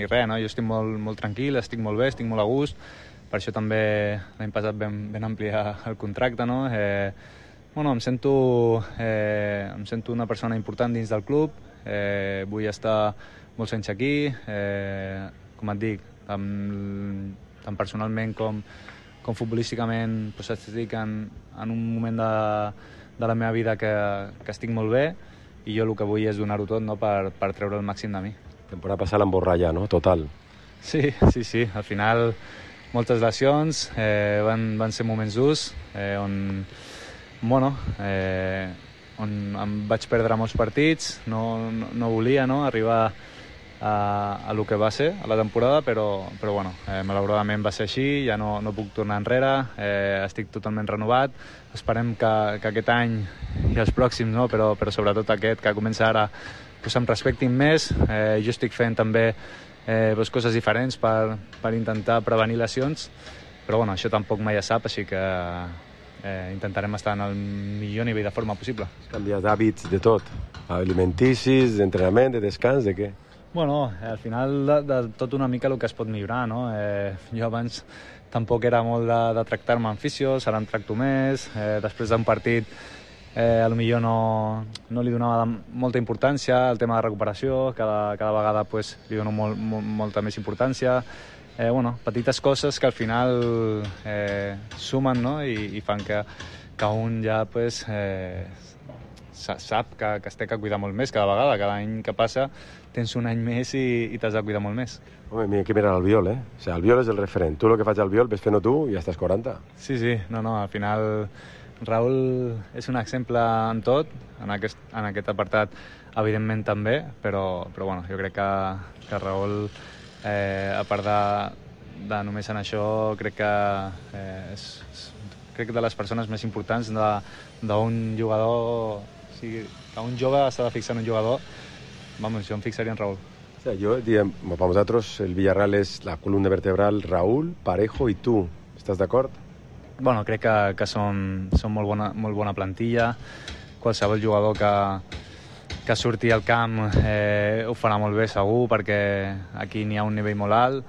res, no? Jo estic molt tranquil, estic molt bé, estic molt a gust, per això també l'any passat vam ampliar el contracte, no? Bueno, em sento una persona important dins del club, vull estar molts anys aquí, com et dic, tant personalment com futbolísticament pues, estic en un moment de la meva vida que estic molt bé i jo el que vull és donar-ho tot, no?, per treure el màxim de mi. Temporada passada l'emborralla, no?, total. Sí, al final moltes lesions, van ser moments durs, on em vaig perdre molts partits, no volia, no?, arribar a lo que va ser a la temporada, però bueno, malauradament va ser així, ja no puc tornar enrere, estic totalment renovat, esperem que aquest any i els pròxims, no? però sobretot aquest que comença ara, pues em respectin més, jo estic fent també coses diferents per intentar prevenir lesions, però bueno, això tampoc mai es sap, així que intentarem estar en el millor nivell de forma possible. Canviar d'hàbits de tot, alimenticis, d'entrenament, de descans, de què? Bueno, al final de tot una mica el que es pot millorar, no? Jo abans tampoc era molt de tractar-me amb fisios, ara em tracto més, després d'un partit potser no li donava molta importància al tema de recuperació, cada vegada pues, li dono molta més importància, petites coses que al final sumen, no? I fan que un ja pues, sap que es té que cuidar molt més cada vegada, cada any que passa tens un any més i t'has de cuidar molt més. Home, mira que mirar Albiol, O sea, Albiol és el referent. Tu el que faig a Albiol ves fent-ho tu i ja estàs 40. Sí, al final Raúl és un exemple en tot, en aquest apartat evidentment també, però bueno, jo crec que Raúl, a part només en això crec que crec que de les persones més importants d'un jugador, o sigui, que un jove s'ha de fixar en un jugador, vamos, jo em fixaria en Raúl. O sea, para nosotros el Villarreal es la columna vertebral Raúl, Parejo y tú. ¿Estás d'acord? Bueno, crec que són molt bona plantilla. Qualsevol jugador que surti al camp ho farà molt bé segur, perquè aquí n'hi ha un nivell molt alt.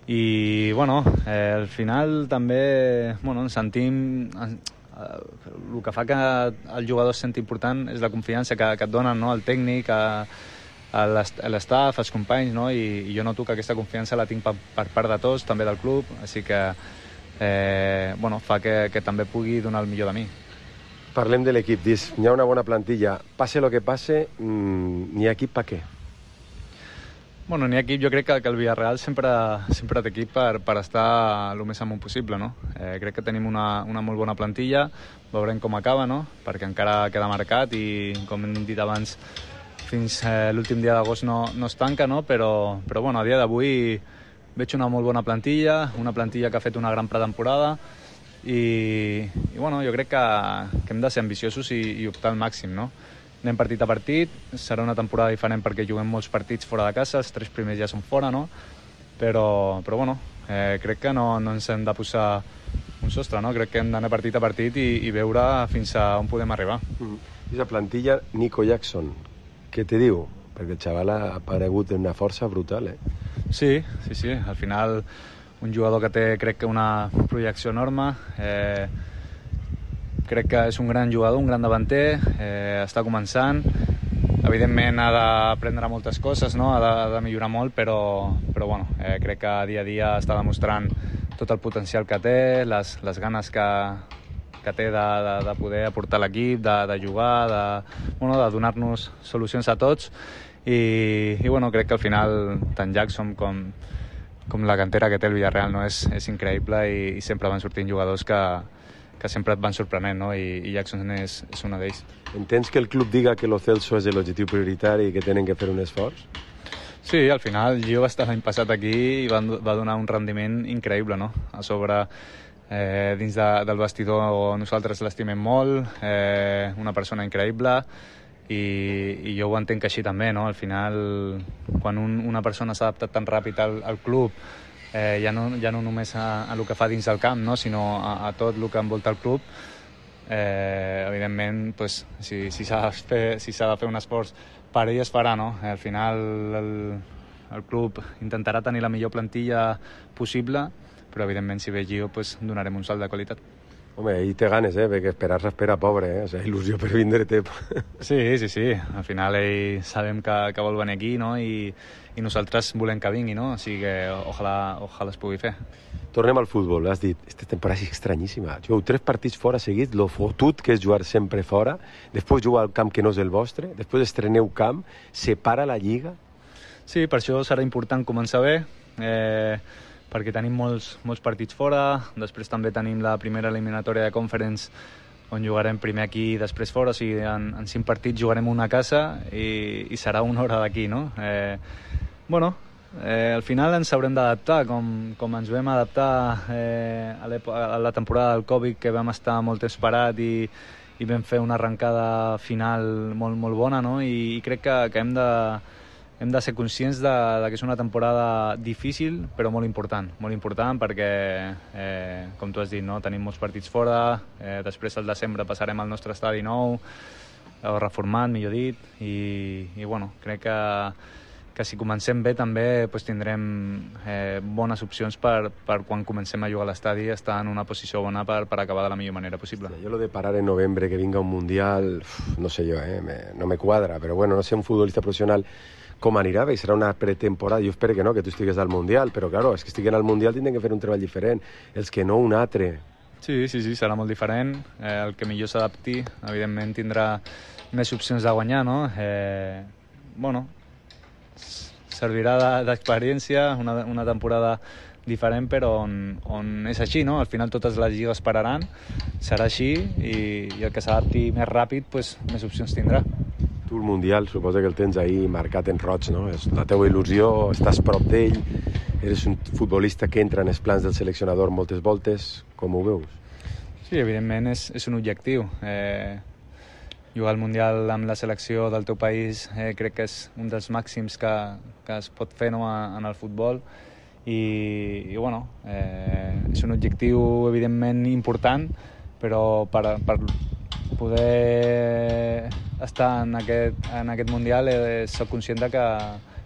I bueno, al final també ens sentim... El que fa que el jugador es senti important és la confiança que et donen, no? El tècnic, l'estaf, els companys, no? I jo noto que aquesta confiança la tinc per part de tots, també del club, així que fa que també pugui donar el millor de mi. Parlem de l'equip, dius, hi ha una bona plantilla, passe lo que passe, n'hi ha equip per què? Bueno, n'hi ha equip, jo crec que el Villarreal sempre té equip per estar el més amunt possible, no? Crec que tenim una molt bona plantilla, veurem com acaba, no? Perquè encara queda marcat i, com hem dit abans, fins l'últim dia d'agost no es tanca, no? Però bueno, a dia d'avui veig una molt bona plantilla, una plantilla que ha fet una gran pretemporada i bueno, jo crec que hem de ser ambiciosos i optar al màxim, no? Anem partit a partit, serà una temporada diferent perquè juguem molts partits fora de casa, els 3 primers ja són fora, no? Però bueno, crec que no ens hem de posar un sostre, no? Crec que hem d'anar partit a partit i veure fins a on podem arribar. I la plantilla, Nico Jackson, què te diu? Perquè el xaval ha aparegut en una força brutal, Sí, al final un jugador que té, crec que una projecció enorme, crec que és un gran jugador, un gran davanter, està començant, evidentment ha d'aprendre moltes coses, no? Ha de millorar molt, però bueno, crec que dia a dia està demostrant tot el potencial que té, les ganes que té de poder aportar l'equip, de jugar, de donar-nos solucions a tots i bueno, crec que al final tant Jackson com la cantera que té el Villarreal, no? És increïble i sempre van sortint jugadors que sempre et van sorprenent, no? I Jackson és un d'ells. Entens que el club diga que Lo Celso és l'objectiu prioritari i que tenen que fer un esforç? Sí, al final Gio va estar l'any passat aquí i va donar un rendiment increïble, no? A sobre, dins del vestidor nosaltres l'estimem molt, una persona increïble i jo ho entenc així també, no? Al final, quan una persona s'ha adaptat tan ràpid al club, ja no només a el que fa dins del camp, no? Sinó a tot el que envolta el club, evidentment, pues, si s'ha de fer un esforç per ell es farà, no? Al final el club intentarà tenir la millor plantilla possible, però evidentment si ve Gio pues, donarem un salt de qualitat. Home, ahí té ganes, perquè esperar s'espera pobre, O sigui, il·lusió per vindre té. Sí. Al final ell sabem que vol venir aquí, no? I nosaltres volem que vingui, no? O sigui que ojalà es pugui fer. Tornem al futbol, has dit, esta temporada és estranyíssima. Jugueu 3 partits fora seguits, lo fotut que és jugar sempre fora, després jugar al camp que no és el vostre, després estreneu camp, separa la lliga. Sí, per això serà important començar bé, perquè tenim molts partits fora, després també tenim la primera eliminatòria de Conference on jugarem primer aquí i després fora, o sigui, en 5 partits jugarem una a casa i serà una hora d'aquí, no? Al final ens haurem d'adaptar, com ens vam adaptar a la temporada del Covid, que vam estar molt esperat i vam fer una arrencada final molt bona, no? I crec que hem de ser conscients que és una temporada difícil però molt important perquè, com tu has dit, no? Tenim molts partits fora, després al desembre passarem al nostre estadi nou, reformat, millor dit, i bueno, crec que si comencem bé també pues, tindrem bones opcions per quan comencem a jugar a l'estadi estar en una posició bona per acabar de la millor manera possible. Jo lo de parar en novembre, que vinga un Mundial, no sé jo, no me quadra, però bueno, no sé un futbolista professional com anirà, bé, serà una pretemporada, jo espero que no, que tu estigues al Mundial, però claro, és que estiguen al Mundial tindran que fer un treball diferent, els que no un altre. Sí, serà molt diferent, el que millor s'adapti, evidentment tindrà més opcions de guanyar, no? Servirà d'experiència, una temporada diferent, però on és així, no? Al final totes les lligues pararan, serà així, i el que s'adapti més ràpid, pues, més opcions tindrà. Tu el Mundial, suposa que el tens ahí marcat en roig, no? És la teua il·lusió, estàs prop d'ell, eres un futbolista que entra en els plans del seleccionador moltes voltes, com ho veus? Sí, evidentment és un objectiu. Jugar al Mundial amb la selecció del teu país crec que és un dels màxims que es pot fer, no, en el futbol i bueno, és un objectiu evidentment important, però per poder estar en aquest Mundial soc conscient que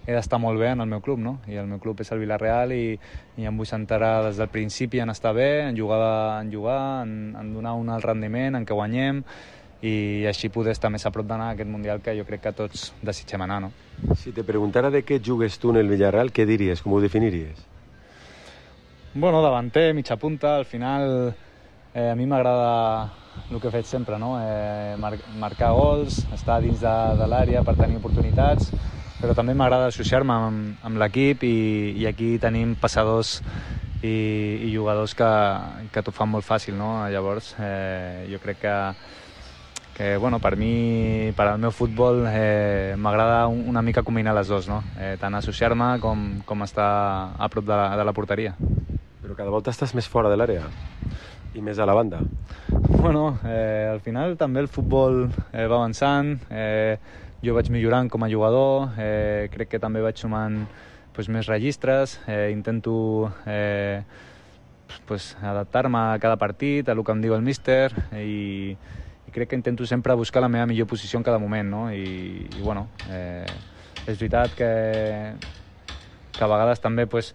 he d'estar molt bé en el meu club, no? I el meu club és el Villarreal i em vull centrar des del principi en estar bé, en jugar, en donar un alt rendiment, en que guanyem i així poder estar més a prop d'anar a aquest Mundial que jo crec que tots desitgem anar, no? Si te preguntara de què jugues tu en el Villarreal, què diries, com ho definiries? Bueno, davanter, mitja punta, al final a mi m'agrada el que he fet sempre, no? Marcar gols, estar dins de l'àrea per tenir oportunitats, però també m'agrada associar-me amb l'equip i aquí tenim passadors i jugadors que t'ho fan molt fàcil, no? Llavors, jo crec que bueno, per mi, per al meu futbol, m'agrada una mica combinar les dues, no? Tant associar-me com estar a prop de la porteria. Però cada volta estàs més fora de l'àrea i més a la banda. Bueno, al final també el futbol va avançant, jo vaig millorant com a jugador, crec que també vaig sumant més registres, intento adaptar-me a cada partit, a el que em diu el míster i crec que intento sempre buscar la meva millor posició en cada moment, no? I bueno, és veritat que a vegades també vaig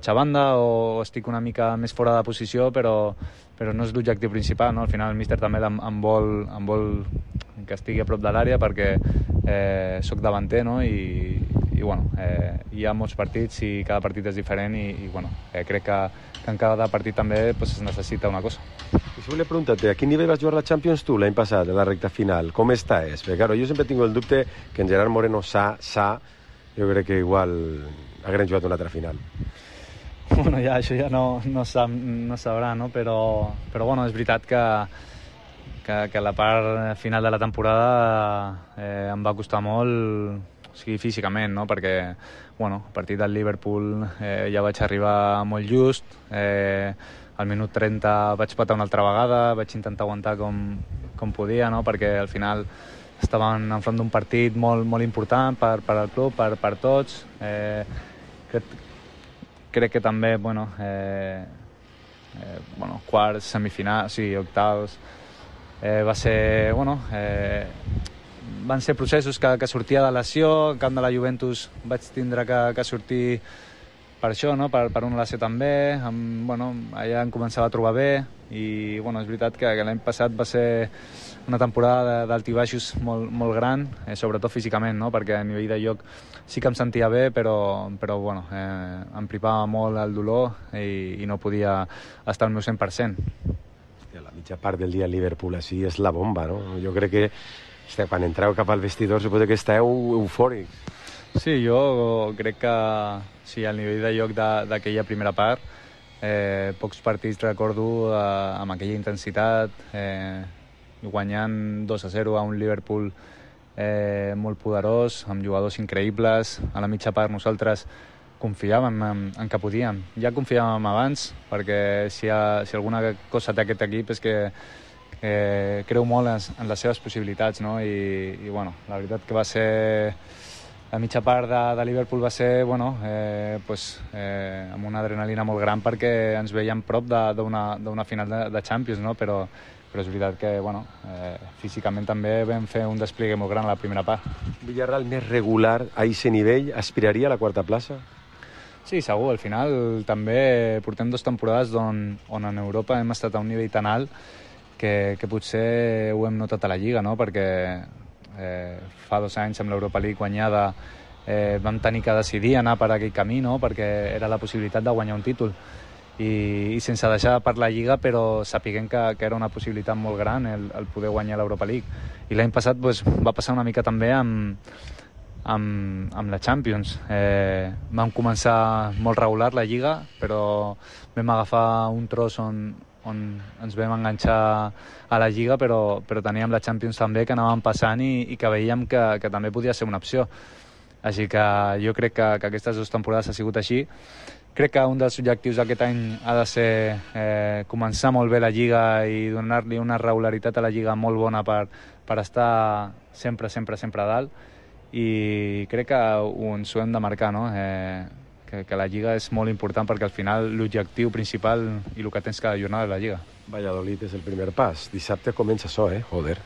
a banda o estic una mica més fora de posició, però no és l'objectiu principal, no? Al final el míster també em vol que estigui a prop de l'àrea perquè soc davanter, no? I bueno, hi ha molts partits i cada partit és diferent i bueno, crec que en cada partit també es necessita una cosa. I si volia preguntar-te, a quin nivell vas jugar la Champions tu l'any passat, a la recta final? Com estàs? Perquè claro, jo sempre tinc el dubte que en Gerard Moreno jo crec que igual hagueren jugat una altra final. Bueno, això ja no sabrà, no? Però bueno, és veritat que la part final de la temporada em va costar molt, o sigui, físicament, no? Perquè, bueno, a partir del Liverpool ja vaig arribar molt just, al minut 30 vaig patar una altra vegada, vaig intentar aguantar com podia, no? Perquè al final estaven enfront d'un partit molt important per al club, per tots. Crec que també, quarts, semifinals, sí, octavs, van ser processos que sortia de lesió. En camp de la Juventus vaig tindre que sortir per això, no? Per una lesió també. Allà em començava a trobar bé i és veritat que l'any passat va ser una temporada d'alt i baixos molt gran, sobretot físicament, no? Perquè a nivell de joc sí que em sentia bé, però em privava molt el dolor i no podia estar al meu 100%. La mitja part del dia al Liverpool així és la bomba, no? Jo crec que quan entreu cap al vestidor suposo que esteu eufòrics. Sí, jo crec que sí, al nivell de joc d'aquella primera part, pocs partits recordo amb aquella intensitat, guanyant 2-0 a un Liverpool molt poderós, amb jugadors increïbles. A la mitja part nosaltres confiàvem en que podíem. Ja confiàvem abans, perquè si alguna cosa té aquest equip és que creu molt en les seves possibilitats, no? I la veritat que va ser... La mitja part de Liverpool va ser amb una adrenalina molt gran perquè ens veiem prop d'una final de Champions, no? Però és veritat que físicament també vam fer un despliegue molt gran a la primera part. Villarreal més regular a aquest nivell aspiraria a la quarta plaça? Sí, segur. Al final també portem 2 temporades on en Europa hem estat a un nivell tan alt que potser ho hem notat a la Lliga, no? Perquè fa 2 anys amb l'Europa League guanyada vam tenir que decidir anar per aquell camí, no? Perquè era la possibilitat de guanyar un títol i sense deixar per la Lliga, però sapiguem que era una possibilitat molt gran el poder guanyar l'Europa League. I l'any passat va passar una mica també amb la Champions. Vam començar molt regular la Lliga, però vam agafar un tros on ens vam enganxar a la Lliga, però teníem la Champions també, que anàvem passant i que veiem que també podia ser una opció. Així que jo crec que aquestes 2 temporades ha sigut així. Crec que un dels objectius d'aquest any ha de ser començar molt bé la Lliga i donar-li una regularitat a la Lliga molt bona per estar sempre a dalt, i crec que ens ho hem de marcar, no? Que la Lliga és molt important, perquè al final l'objectiu principal i el que tens cada jornada és la Lliga. Valladolid és el primer pas. Dissabte comença això, joder.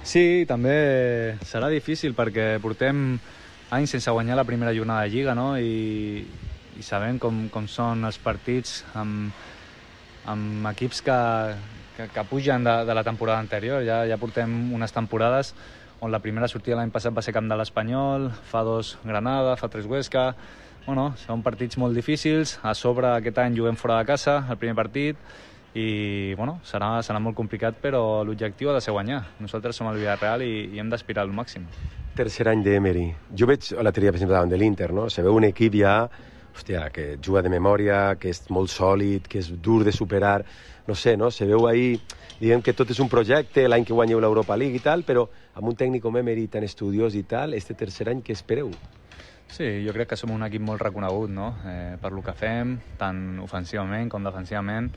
Sí, també serà difícil perquè portem anys sense guanyar la primera jornada de Lliga, no? I sabem com són els partits amb equips que pugen de la temporada anterior. Ja portem unes temporades on la primera sortida l'any passat va ser camp de l'Espanyol, fa 2 Granada, fa 3 Huesca. Bueno, són partits molt difícils. A sobre aquest any juguem fora de casa, el primer partit, i bueno, serà molt complicat, però l'objectiu ha de ser guanyar. Nosaltres som el Villarreal i hem d'aspirar al màxim. Tercer any d'Emery. Jo veig l'altre dia, per exemple, davant de l'Inter, no? Se veu un equip ja, hòstia, que juga de memòria, que és molt sòlid, que és dur de superar, no sé, no? Se veu ahí, diguem que tot és un projecte, l'any que guanyeu l'Europa League i tal, però amb un tècnic com Emery tan estudiós i tal, este tercer any, què espereu? Sí, jo crec que som un equip molt reconegut, no? Per lo que fem, tant ofensivament com defensivament.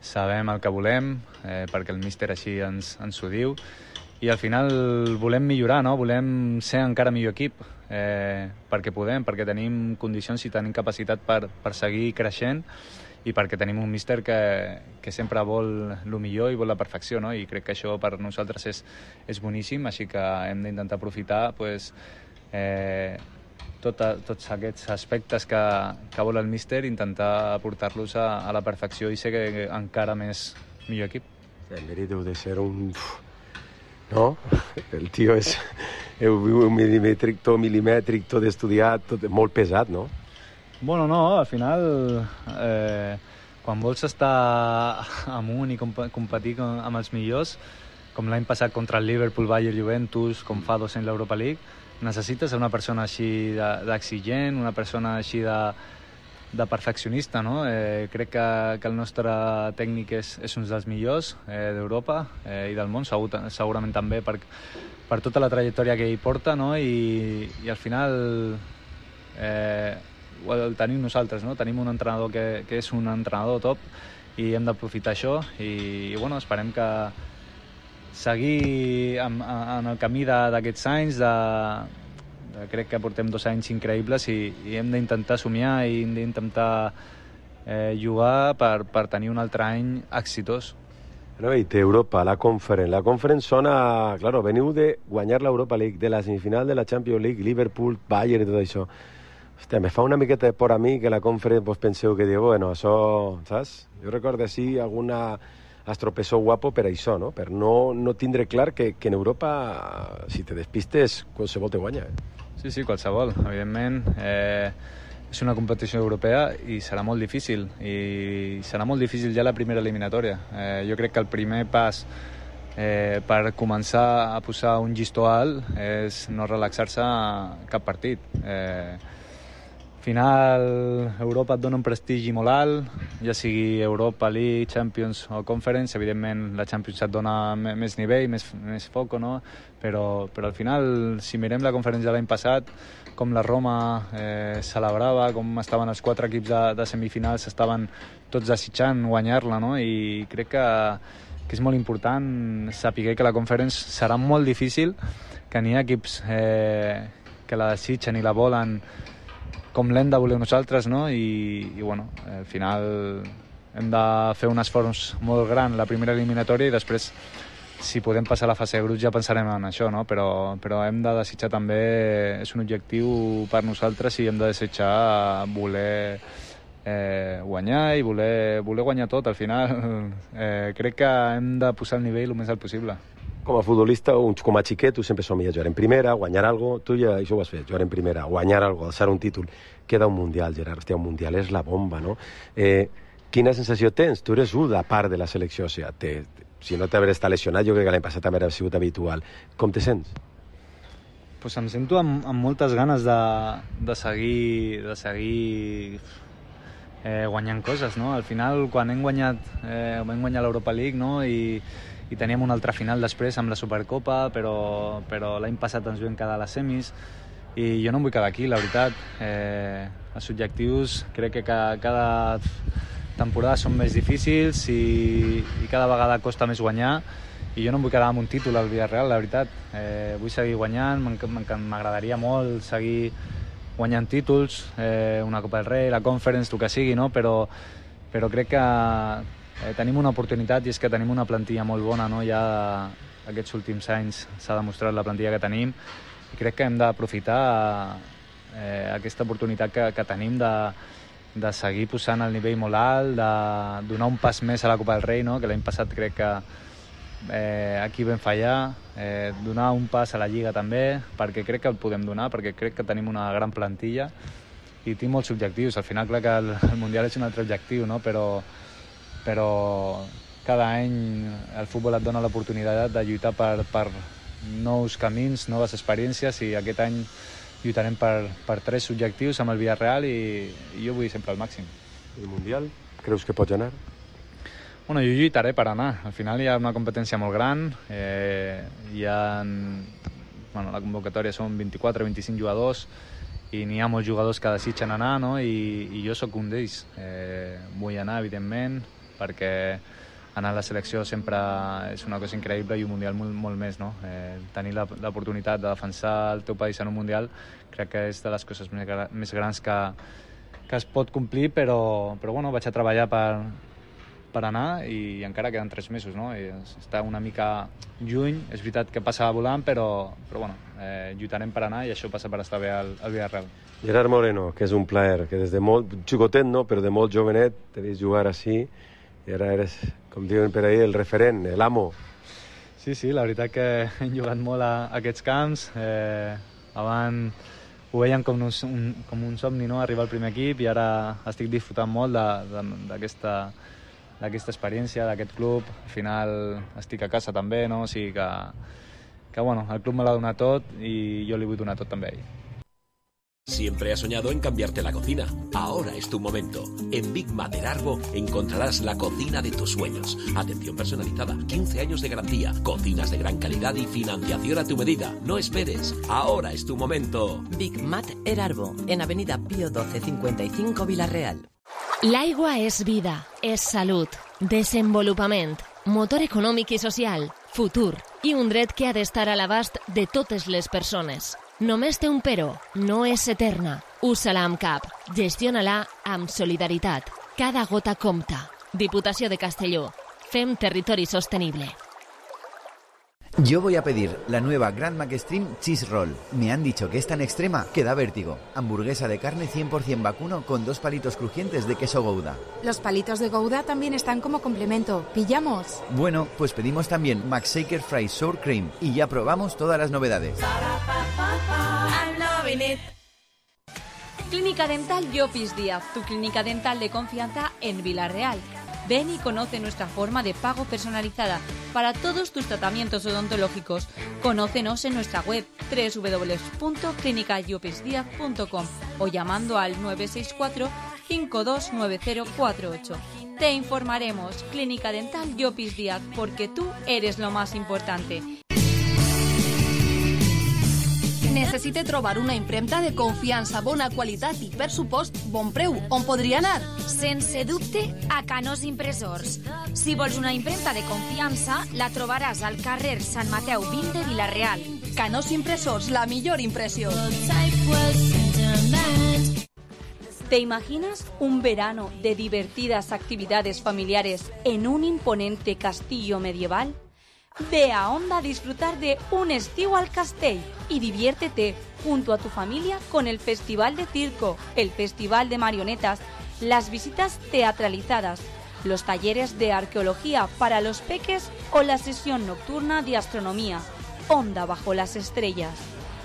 Sabem el que volem, perquè el míster així ens ho diu, i al final volem millorar, no? Volem ser encara millor equip, perquè tenim condicions i tenim capacitat per seguir creixent, i perquè tenim un míster que sempre vol el millor i vol la perfecció, no? I crec que això per nosaltres és boníssim, així que hem d'intentar aprofitar tots aquests aspectes que vol el míster, intentar portar-los a la perfecció i ser encara més millor equip. El Emery deu de ser un... No? El tio és millimètric, tot estudiat, tot molt pesat, no? Bueno, no, al final, quan vols estar amunt i competir amb els millors, com l'any passat contra el Liverpool, Bayern, Juventus, com fa 2 anys l'Europa League, necessites una persona així d'exigent, una persona així de perfeccionista, no? Crec que el nostre tècnic és un dels millors d'Europa i del món, segurament també per tota la trajectòria que ell porta, no? I al final el tenim nosaltres, no? Tenim un entrenador que és un entrenador top i hem d'aprofitar això i bueno, esperem que seguir en el camí d'aquests anys, crec que portem 2 anys increïbles i hem d'intentar somiar i hem d'intentar jugar per tenir un altre any exitós. No, i té Europa, la Conference. La Conference sona... Claro, veniu de guanyar l'Europa League, de la semifinal de la Champions League, Liverpool, Bayern i tot això. Hòstia, me fa una miqueta de por a mi que la Conference vos penseu que diu, bueno, això, saps? Jo recordo així alguna estropessó guapo per això, no? Per no tindre clar que en Europa, si te despistes, qualsevol te guanya. Sí, qualsevol. Evidentment, és una competició europea i serà molt difícil. I serà molt difícil ja la primera eliminatòria. Jo crec que el primer pas per començar a posar un llistó alt és no relaxar-se cap partit. Al final, Europa et dona un prestigi molt alt, ja sigui Europa League, Champions o Conference. Evidentment, la Champions et dona més nivell, més foco, no? Però al final, si mirem la conferència de l'any passat, com la Roma celebrava, com estaven els 4 equips de semifinals, estaven tots desitjant guanyar-la, no? I crec que és molt important saber que la Conference serà molt difícil, que n'hi ha equips que la desitgen i la volen com l'hem de voler nosaltres, no? I bueno, al final hem de fer un esforç molt gran la primera eliminatòria i després, si podem passar a la fase de grups, ja pensarem en això, no? Però hem de desitjar també, és un objectiu per nosaltres i hem de desitjar voler guanyar i voler guanyar tot. Al final crec que hem de posar el nivell el més alt possible. Com a futbolista, com a xiquet, tu sempre somia jugar en primera, guanyar alguna cosa. Tu ja això ho has fet, jugar en primera, guanyar alguna cosa, alçar un títol. Queda un Mundial, Gerard. Hòstia, un Mundial és la bomba, no? Quina sensació tens? Tu eres una part de la selecció, o sigui, si no t'haver estat lesionat, jo crec que l'any passat també ha sigut habitual. Com te sents? Pues em sento amb moltes ganes de seguir guanyant coses, no? Al final, quan hem guanyat l'Europa League, no? I teníem una altra final després amb la Supercopa, però l'any passat ens vam quedar a les semis i jo no em vull quedar aquí, la veritat. Els objectius crec que cada temporada són més difícils i cada vegada costa més guanyar, i jo no em vull quedar amb un títol al Villarreal, la veritat. Vull seguir guanyant, m'agradaria molt seguir guanyant títols, una Copa del Rei, la Conference, el que sigui, no? Però crec que tenim una oportunitat, i és que tenim una plantilla molt bona, no? Ja aquests últims anys s'ha demostrat la plantilla que tenim, i crec que hem d'aprofitar aquesta oportunitat que tenim de seguir posant el nivell molt alt, de donar un pas més a la Copa del Rei, no? Que l'any passat crec que aquí vam fallar, donar un pas a la Lliga també, perquè crec que el podem donar, perquè crec que tenim una gran plantilla i tinc molts objectius. Al final, clar que el Mundial és un altre objectiu, no? Però cada any el futbol et dona l'oportunitat de lluitar per nous camins, noves experiències, i aquest any lluitarem per 3 objectius amb el Villarreal, i jo vull sempre el màxim. El Mundial, creus que pots anar? Bueno, jo lluitaré per anar. Al final hi ha una competència molt gran, la convocatòria són 24-25 jugadors, i n'hi ha molts jugadors que desitgen anar, no? I jo sóc un d'ells. Vull anar, evidentment, perquè anar a la selecció sempre és una cosa increïble, i un Mundial molt més, no? Tenir l'oportunitat de defensar el teu país en un Mundial crec que és de les coses més grans que es pot complir, però bueno, vaig a treballar per anar, i encara queden 3 mesos, no? I està una mica lluny, és veritat que passa volant, però bueno, lluitarem per anar, i això passa per estar bé al Villarreal. Gerard Moreno, que és un plaer, que des de molt xicotet, no? Però de molt jovenet t'he vist jugar així, i ara eres, com diuen per ahí, el referent, l'amo. Sí, la veritat que hem jugat molt a aquests camps. Abans ho veiem com un somni, no? Arribar al primer equip, i ara estic disfrutant molt d'aquesta experiència, d'aquest club. Al final estic a casa també, no? O sigui que bueno, el club me l'ha donat tot, i jo li vull donar tot també a ell. Siempre has soñado en cambiarte la cocina. Ahora es tu momento. En Big Mat Erarbo encontrarás la cocina de tus sueños. Atención personalizada, 15 años de garantía, cocinas de gran calidad y financiación a tu medida. No esperes. Ahora es tu momento. Big Mat Erarbo, en Avenida Pío 12 55 Villarreal. L'aigua és vida, és salut, desenvolupament, motor econòmic i social, futur, i un dret que ha d'estar a l'abast de totes les persones. Només té un però, no és eterna. Usa-la amb cap, gestiona-la amb solidaritat. Cada gota compta. Diputació de Castelló. Fem territori sostenible. Yo voy a pedir la nueva Grand McStream Cheese Roll. Me han dicho que es tan extrema que da vértigo. Hamburguesa de carne 100% vacuno con 2 palitos crujientes de queso Gouda. Los palitos de Gouda también están como complemento. ¿Pillamos? Bueno, pues pedimos también McShaker Fries Sour Cream y ya probamos todas las novedades. Clínica Dental Llopis Díaz, tu clínica dental de confianza en Villarreal. Ven y conoce nuestra forma de pago personalizada para todos tus tratamientos odontológicos. Conócenos en nuestra web www.clinicallopisdiaz.com o llamando al 964 529048. Te informaremos. Clínica Dental Llopis Díaz, porque tú eres lo más importante. Necessite trobar una impremta de confiança, bona qualitat i, per supost, bon preu. On podria anar? Sense dubte, a Canós Impressors. Si vols una impremta de confiança, la trobaràs al carrer Sant Mateu 20 de Vila-real. Canós Impressors, la millor impressió. ¿Te imaginas un verano de divertidas actividades familiares en un imponente castillo medieval? Ve a Onda a disfrutar de un estiu al Castell y diviértete junto a tu familia con el Festival de Circo, el Festival de Marionetas, las visitas teatralizadas, los talleres de arqueología para los peques o la sesión nocturna de astronomía, Onda bajo las estrellas.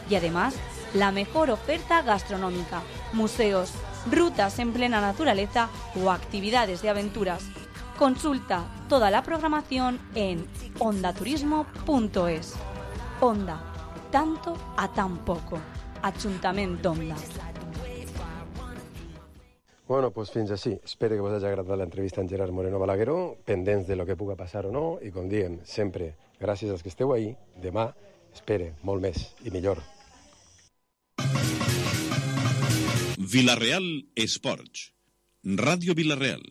Y además, la mejor oferta gastronómica, museos, rutas en plena naturaleza o actividades de aventuras. Consulta toda la programación en ondaturismo.es. Onda, tanto a tan poco. Ajuntament d'Onda. Bueno, doncs fins així. Espero que us hagi agradat l'entrevista amb Gerard Moreno Balagueró, pendents de lo que puga passar o no, i com diem, sempre, gràcies als que esteu ahí, demà, espere, molt més i millor. Vila-real Esports. Ràdio Vila-real.